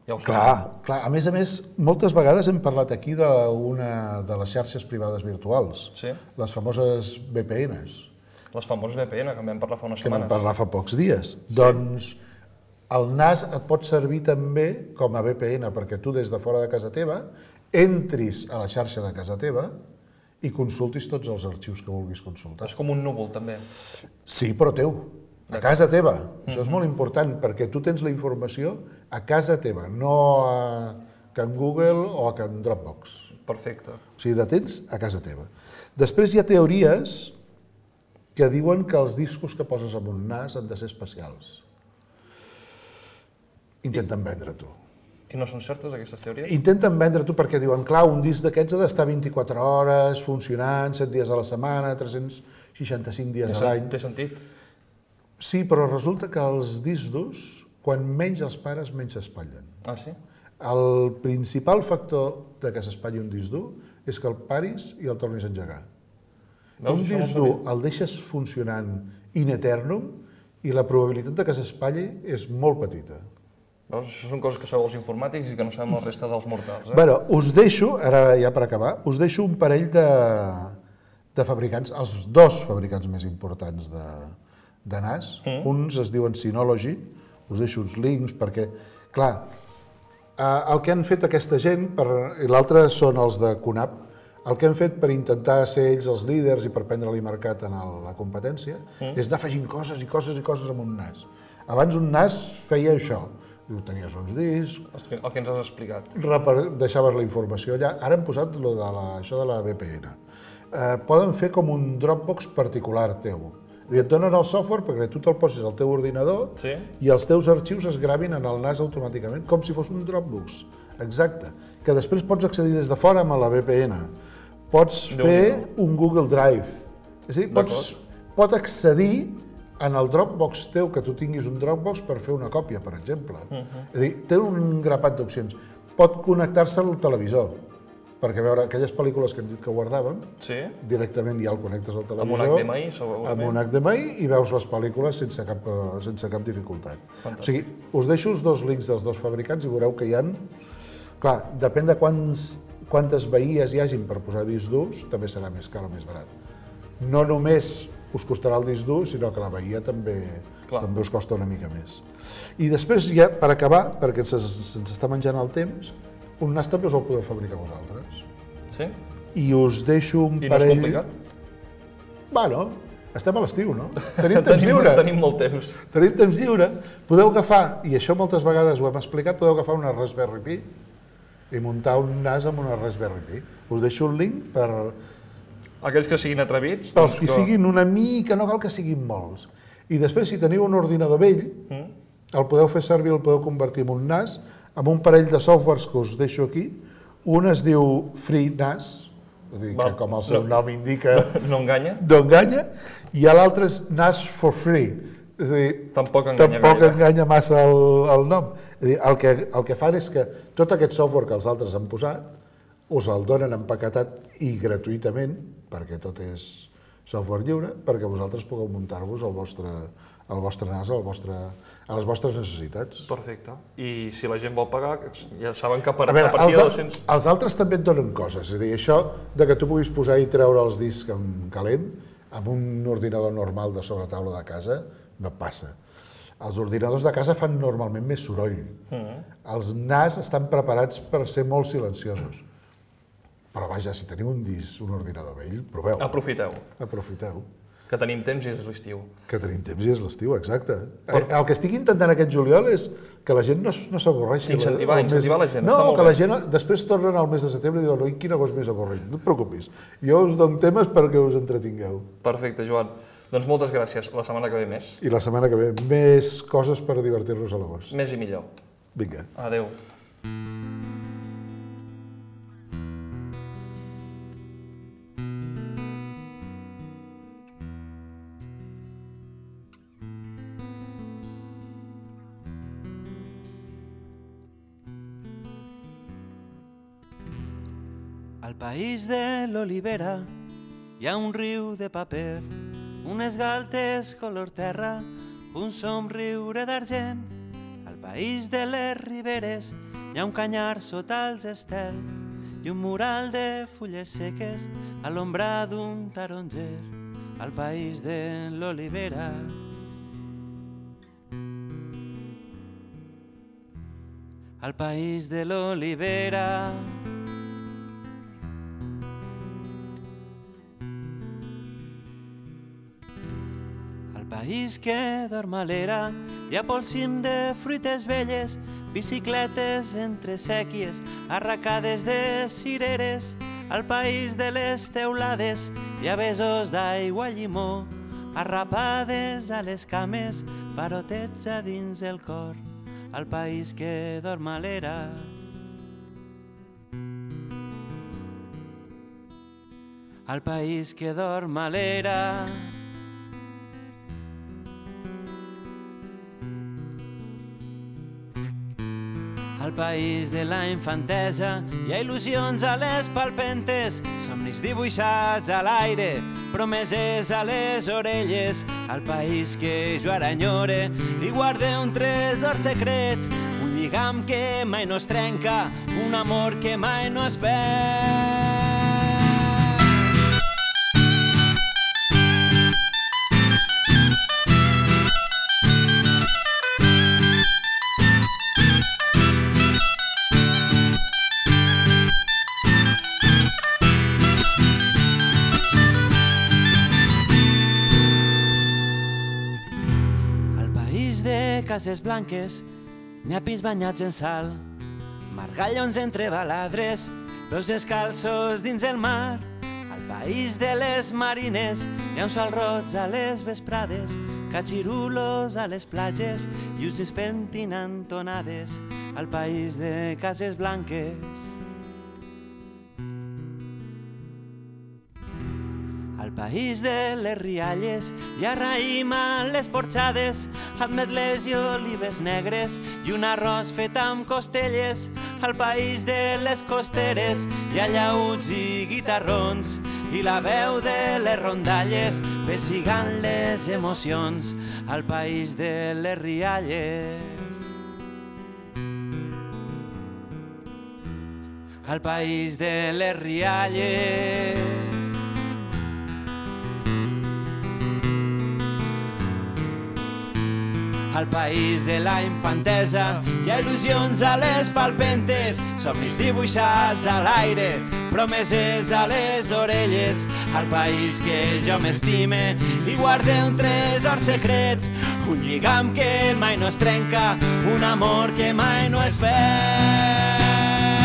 ja ho saben. Clar. A més, moltes vegades hem parlat aquí d'una de les xarxes privades virtuals, les famoses VPNs. Les famoses VPN, que en vam parlar fa unes Que setmanes. vam parlar fa pocs dies. Doncs el NAS et pot servir també com a VPN, perquè tu des de fora de casa teva entris a la xarxa de casa teva i consultis tots els arxius que vulguis consultar. És com un núvol, també. Sí, però teu, a casa teva. Això és molt important, perquè tu tens la informació a casa teva, no que en Google o que en Dropbox. Perfecte. O sigui, la tens a casa teva. Després hi ha teories que diuen que els discos que poses en un NAS han de ser especials. Intenten vendre-t'ho. I no són certes, aquestes teories? Intenten vendre-t'ho perquè diuen, clar, un disc d'aquests ha d'estar 24 hores funcionant, 7 dies a la setmana, 365 dies a l'any. Té sentit? Sí, però resulta que els discs durs, quan menys els pares, menys s'espatllen. Ah, sí? El principal factor de que s'espatlli un disc dur és que el paris i el tornis a engegar. Un disc dur el deixes funcionant in eternum i la probabilitat de que s'espatlli és molt petita. Veus? Això són coses que sabeu els informàtics i que no sabem la resta dels mortals. Bueno, us deixo, ara ja per acabar, us deixo un parell de fabricants, els dos fabricants més importants de NAS. Uns es diuen Synology, us deixo uns links perquè, clar, el que han fet aquesta gent, i l'altre són els de QNAP, el que han fet per intentar ser ells els líders i per prendre-li mercat en la competència és anar afegint coses i coses i coses amb un NAS. Abans un NAS feia això, tenies uns discs... El que ens has explicat. Deixaves la informació allà. Ara han posat això de la VPN. Poden fer com un Dropbox particular teu. Et donen el software perquè tu te'l posis al teu ordinador i els teus arxius es gravin en el NAS automàticament, com si fos un Dropbox. Exacte. Que després pots accedir des de fora amb la VPN. Pots fer un Google Drive. És a dir, pot accedir en el Dropbox teu, que tu tinguis un Dropbox per fer una còpia, per exemple. És a dir, té un grapat d'opcions. Pot connectar-se al televisor, perquè veure aquelles pel·lícules que hem dit que guardàvem, directament ja el connectes al televisor, amb un HDMI, segurament. Amb un HDMI, i veus les pel·lícules sense cap dificultat. O sigui, us deixo els dos links dels dos fabricants i veureu que hi ha... Clar, depèn de quantes bahies hi hagin per posar discs durs, també serà més car o més barat. No només us costarà el disc dur, sinó que la bahia també us costa una mica més. I després, ja per acabar, perquè se'ns està menjant el temps, un NAS també us el podeu fabricar vosaltres. Sí? I us deixo un parell... I no és complicat? Bueno, estem a l'estiu, no? Tenim temps lliure. Tenim molt temps. Tenim temps lliure. Podeu agafar, i això moltes vegades ho hem explicat, podeu agafar una Raspberry Pi i muntar un NAS amb una Raspberry Pi. Us deixo un link per... Aquells que siguin atrevits... Pels que siguin una mica, no cal que siguin molts. I després, si teniu un ordinador vell, el podeu fer servir, el podeu convertir en un NAS, amb un parell de softwares que us deixo aquí. Un es diu FreeNAS, que com el seu nom indica... No enganya. No enganya. I l'altre és NAS for Free. És a dir, tampoc enganya massa el nom. És a dir, el que fan és que tot aquest software que els altres han posat us el donen empaquetat i gratuïtament, perquè tot és software lliure, perquè vosaltres pugueu muntar-vos el vostre NAS a les vostres necessitats. Perfecte. I si la gent vol pagar, ja saben que a partir de 200... Els altres també et donen coses. És a dir, això de que tu puguis posar i treure els discs en calent, amb un ordinador normal de sobretaula de casa, no passa. Els ordinadors de casa fan normalment més soroll. Els NAS estan preparats per ser molt silenciosos. Però vaja, si teniu un ordinador vell, proveu. Aprofiteu. Que tenim temps i és l'estiu. Que tenim temps i és l'estiu, exacte. El que estic intentant aquest juliol és que la gent no s'avorreixi. Incentivar la gent. No, que la gent després tornen al mes de setembre i diuen oi, quin agost més avorrit. No et preocupis. Jo us dono temes perquè us entretingueu. Perfecte, Joan. Doncs moltes gràcies. La setmana que ve més. I la setmana que ve més coses per divertir-nos a l'agost. Més i millor. Vinga. Adéu. Al país de l'olivera hi ha un riu de paper, unes galtes color terra, un somriure d'argent. Al país de les riberes hi ha un canyar sota els estels i un mural de fulles seques a l'ombra d'un taronger. Al país de l'olivera. Al país de l'olivera. País que dorm a l'era, hi ha pel cim de fruites velles, bicicletes entre sèquies, arracades de cireres. Al país de les teulades hi ha besos d'aigua llimó, arrapades a les cames, parotets a dins el cor. Al país que dorm a l'era. Al país que dorm a l'era. al país de la infantesa hi ha il·lusions a les palpentes, somnis dibuixats a l'aire, promeses a les orelles, al país que jo ara enyore i guarde un tresor secret, un lligam que mai no es trenca, un amor que mai no es perd. Cases blanques, nyapis banyats en sal, margallons entre baladres, peus descalços dins el mar. Al país de les marines hi ha un sol roig a les vesprades, catxirulos a les platges i us pentinant tonades. Al país de cases blanques, al país de les rialles hi ha raïm a les porxades, ametles i olives negres i un arròs fet amb costelles. Al país de les costeres hi ha llauts i guitarrons i la veu de les rondalles pessigant les emocions. Al país de les rialles, al país de les rialles, al país de la infantesa hi ha il·lusions a les palpentes, somnis dibuixats a l'aire, promeses a les orelles, al país que jo m'estime i guarde un tresor secret, un lligam que mai no es trenca, un amor que mai no es perd.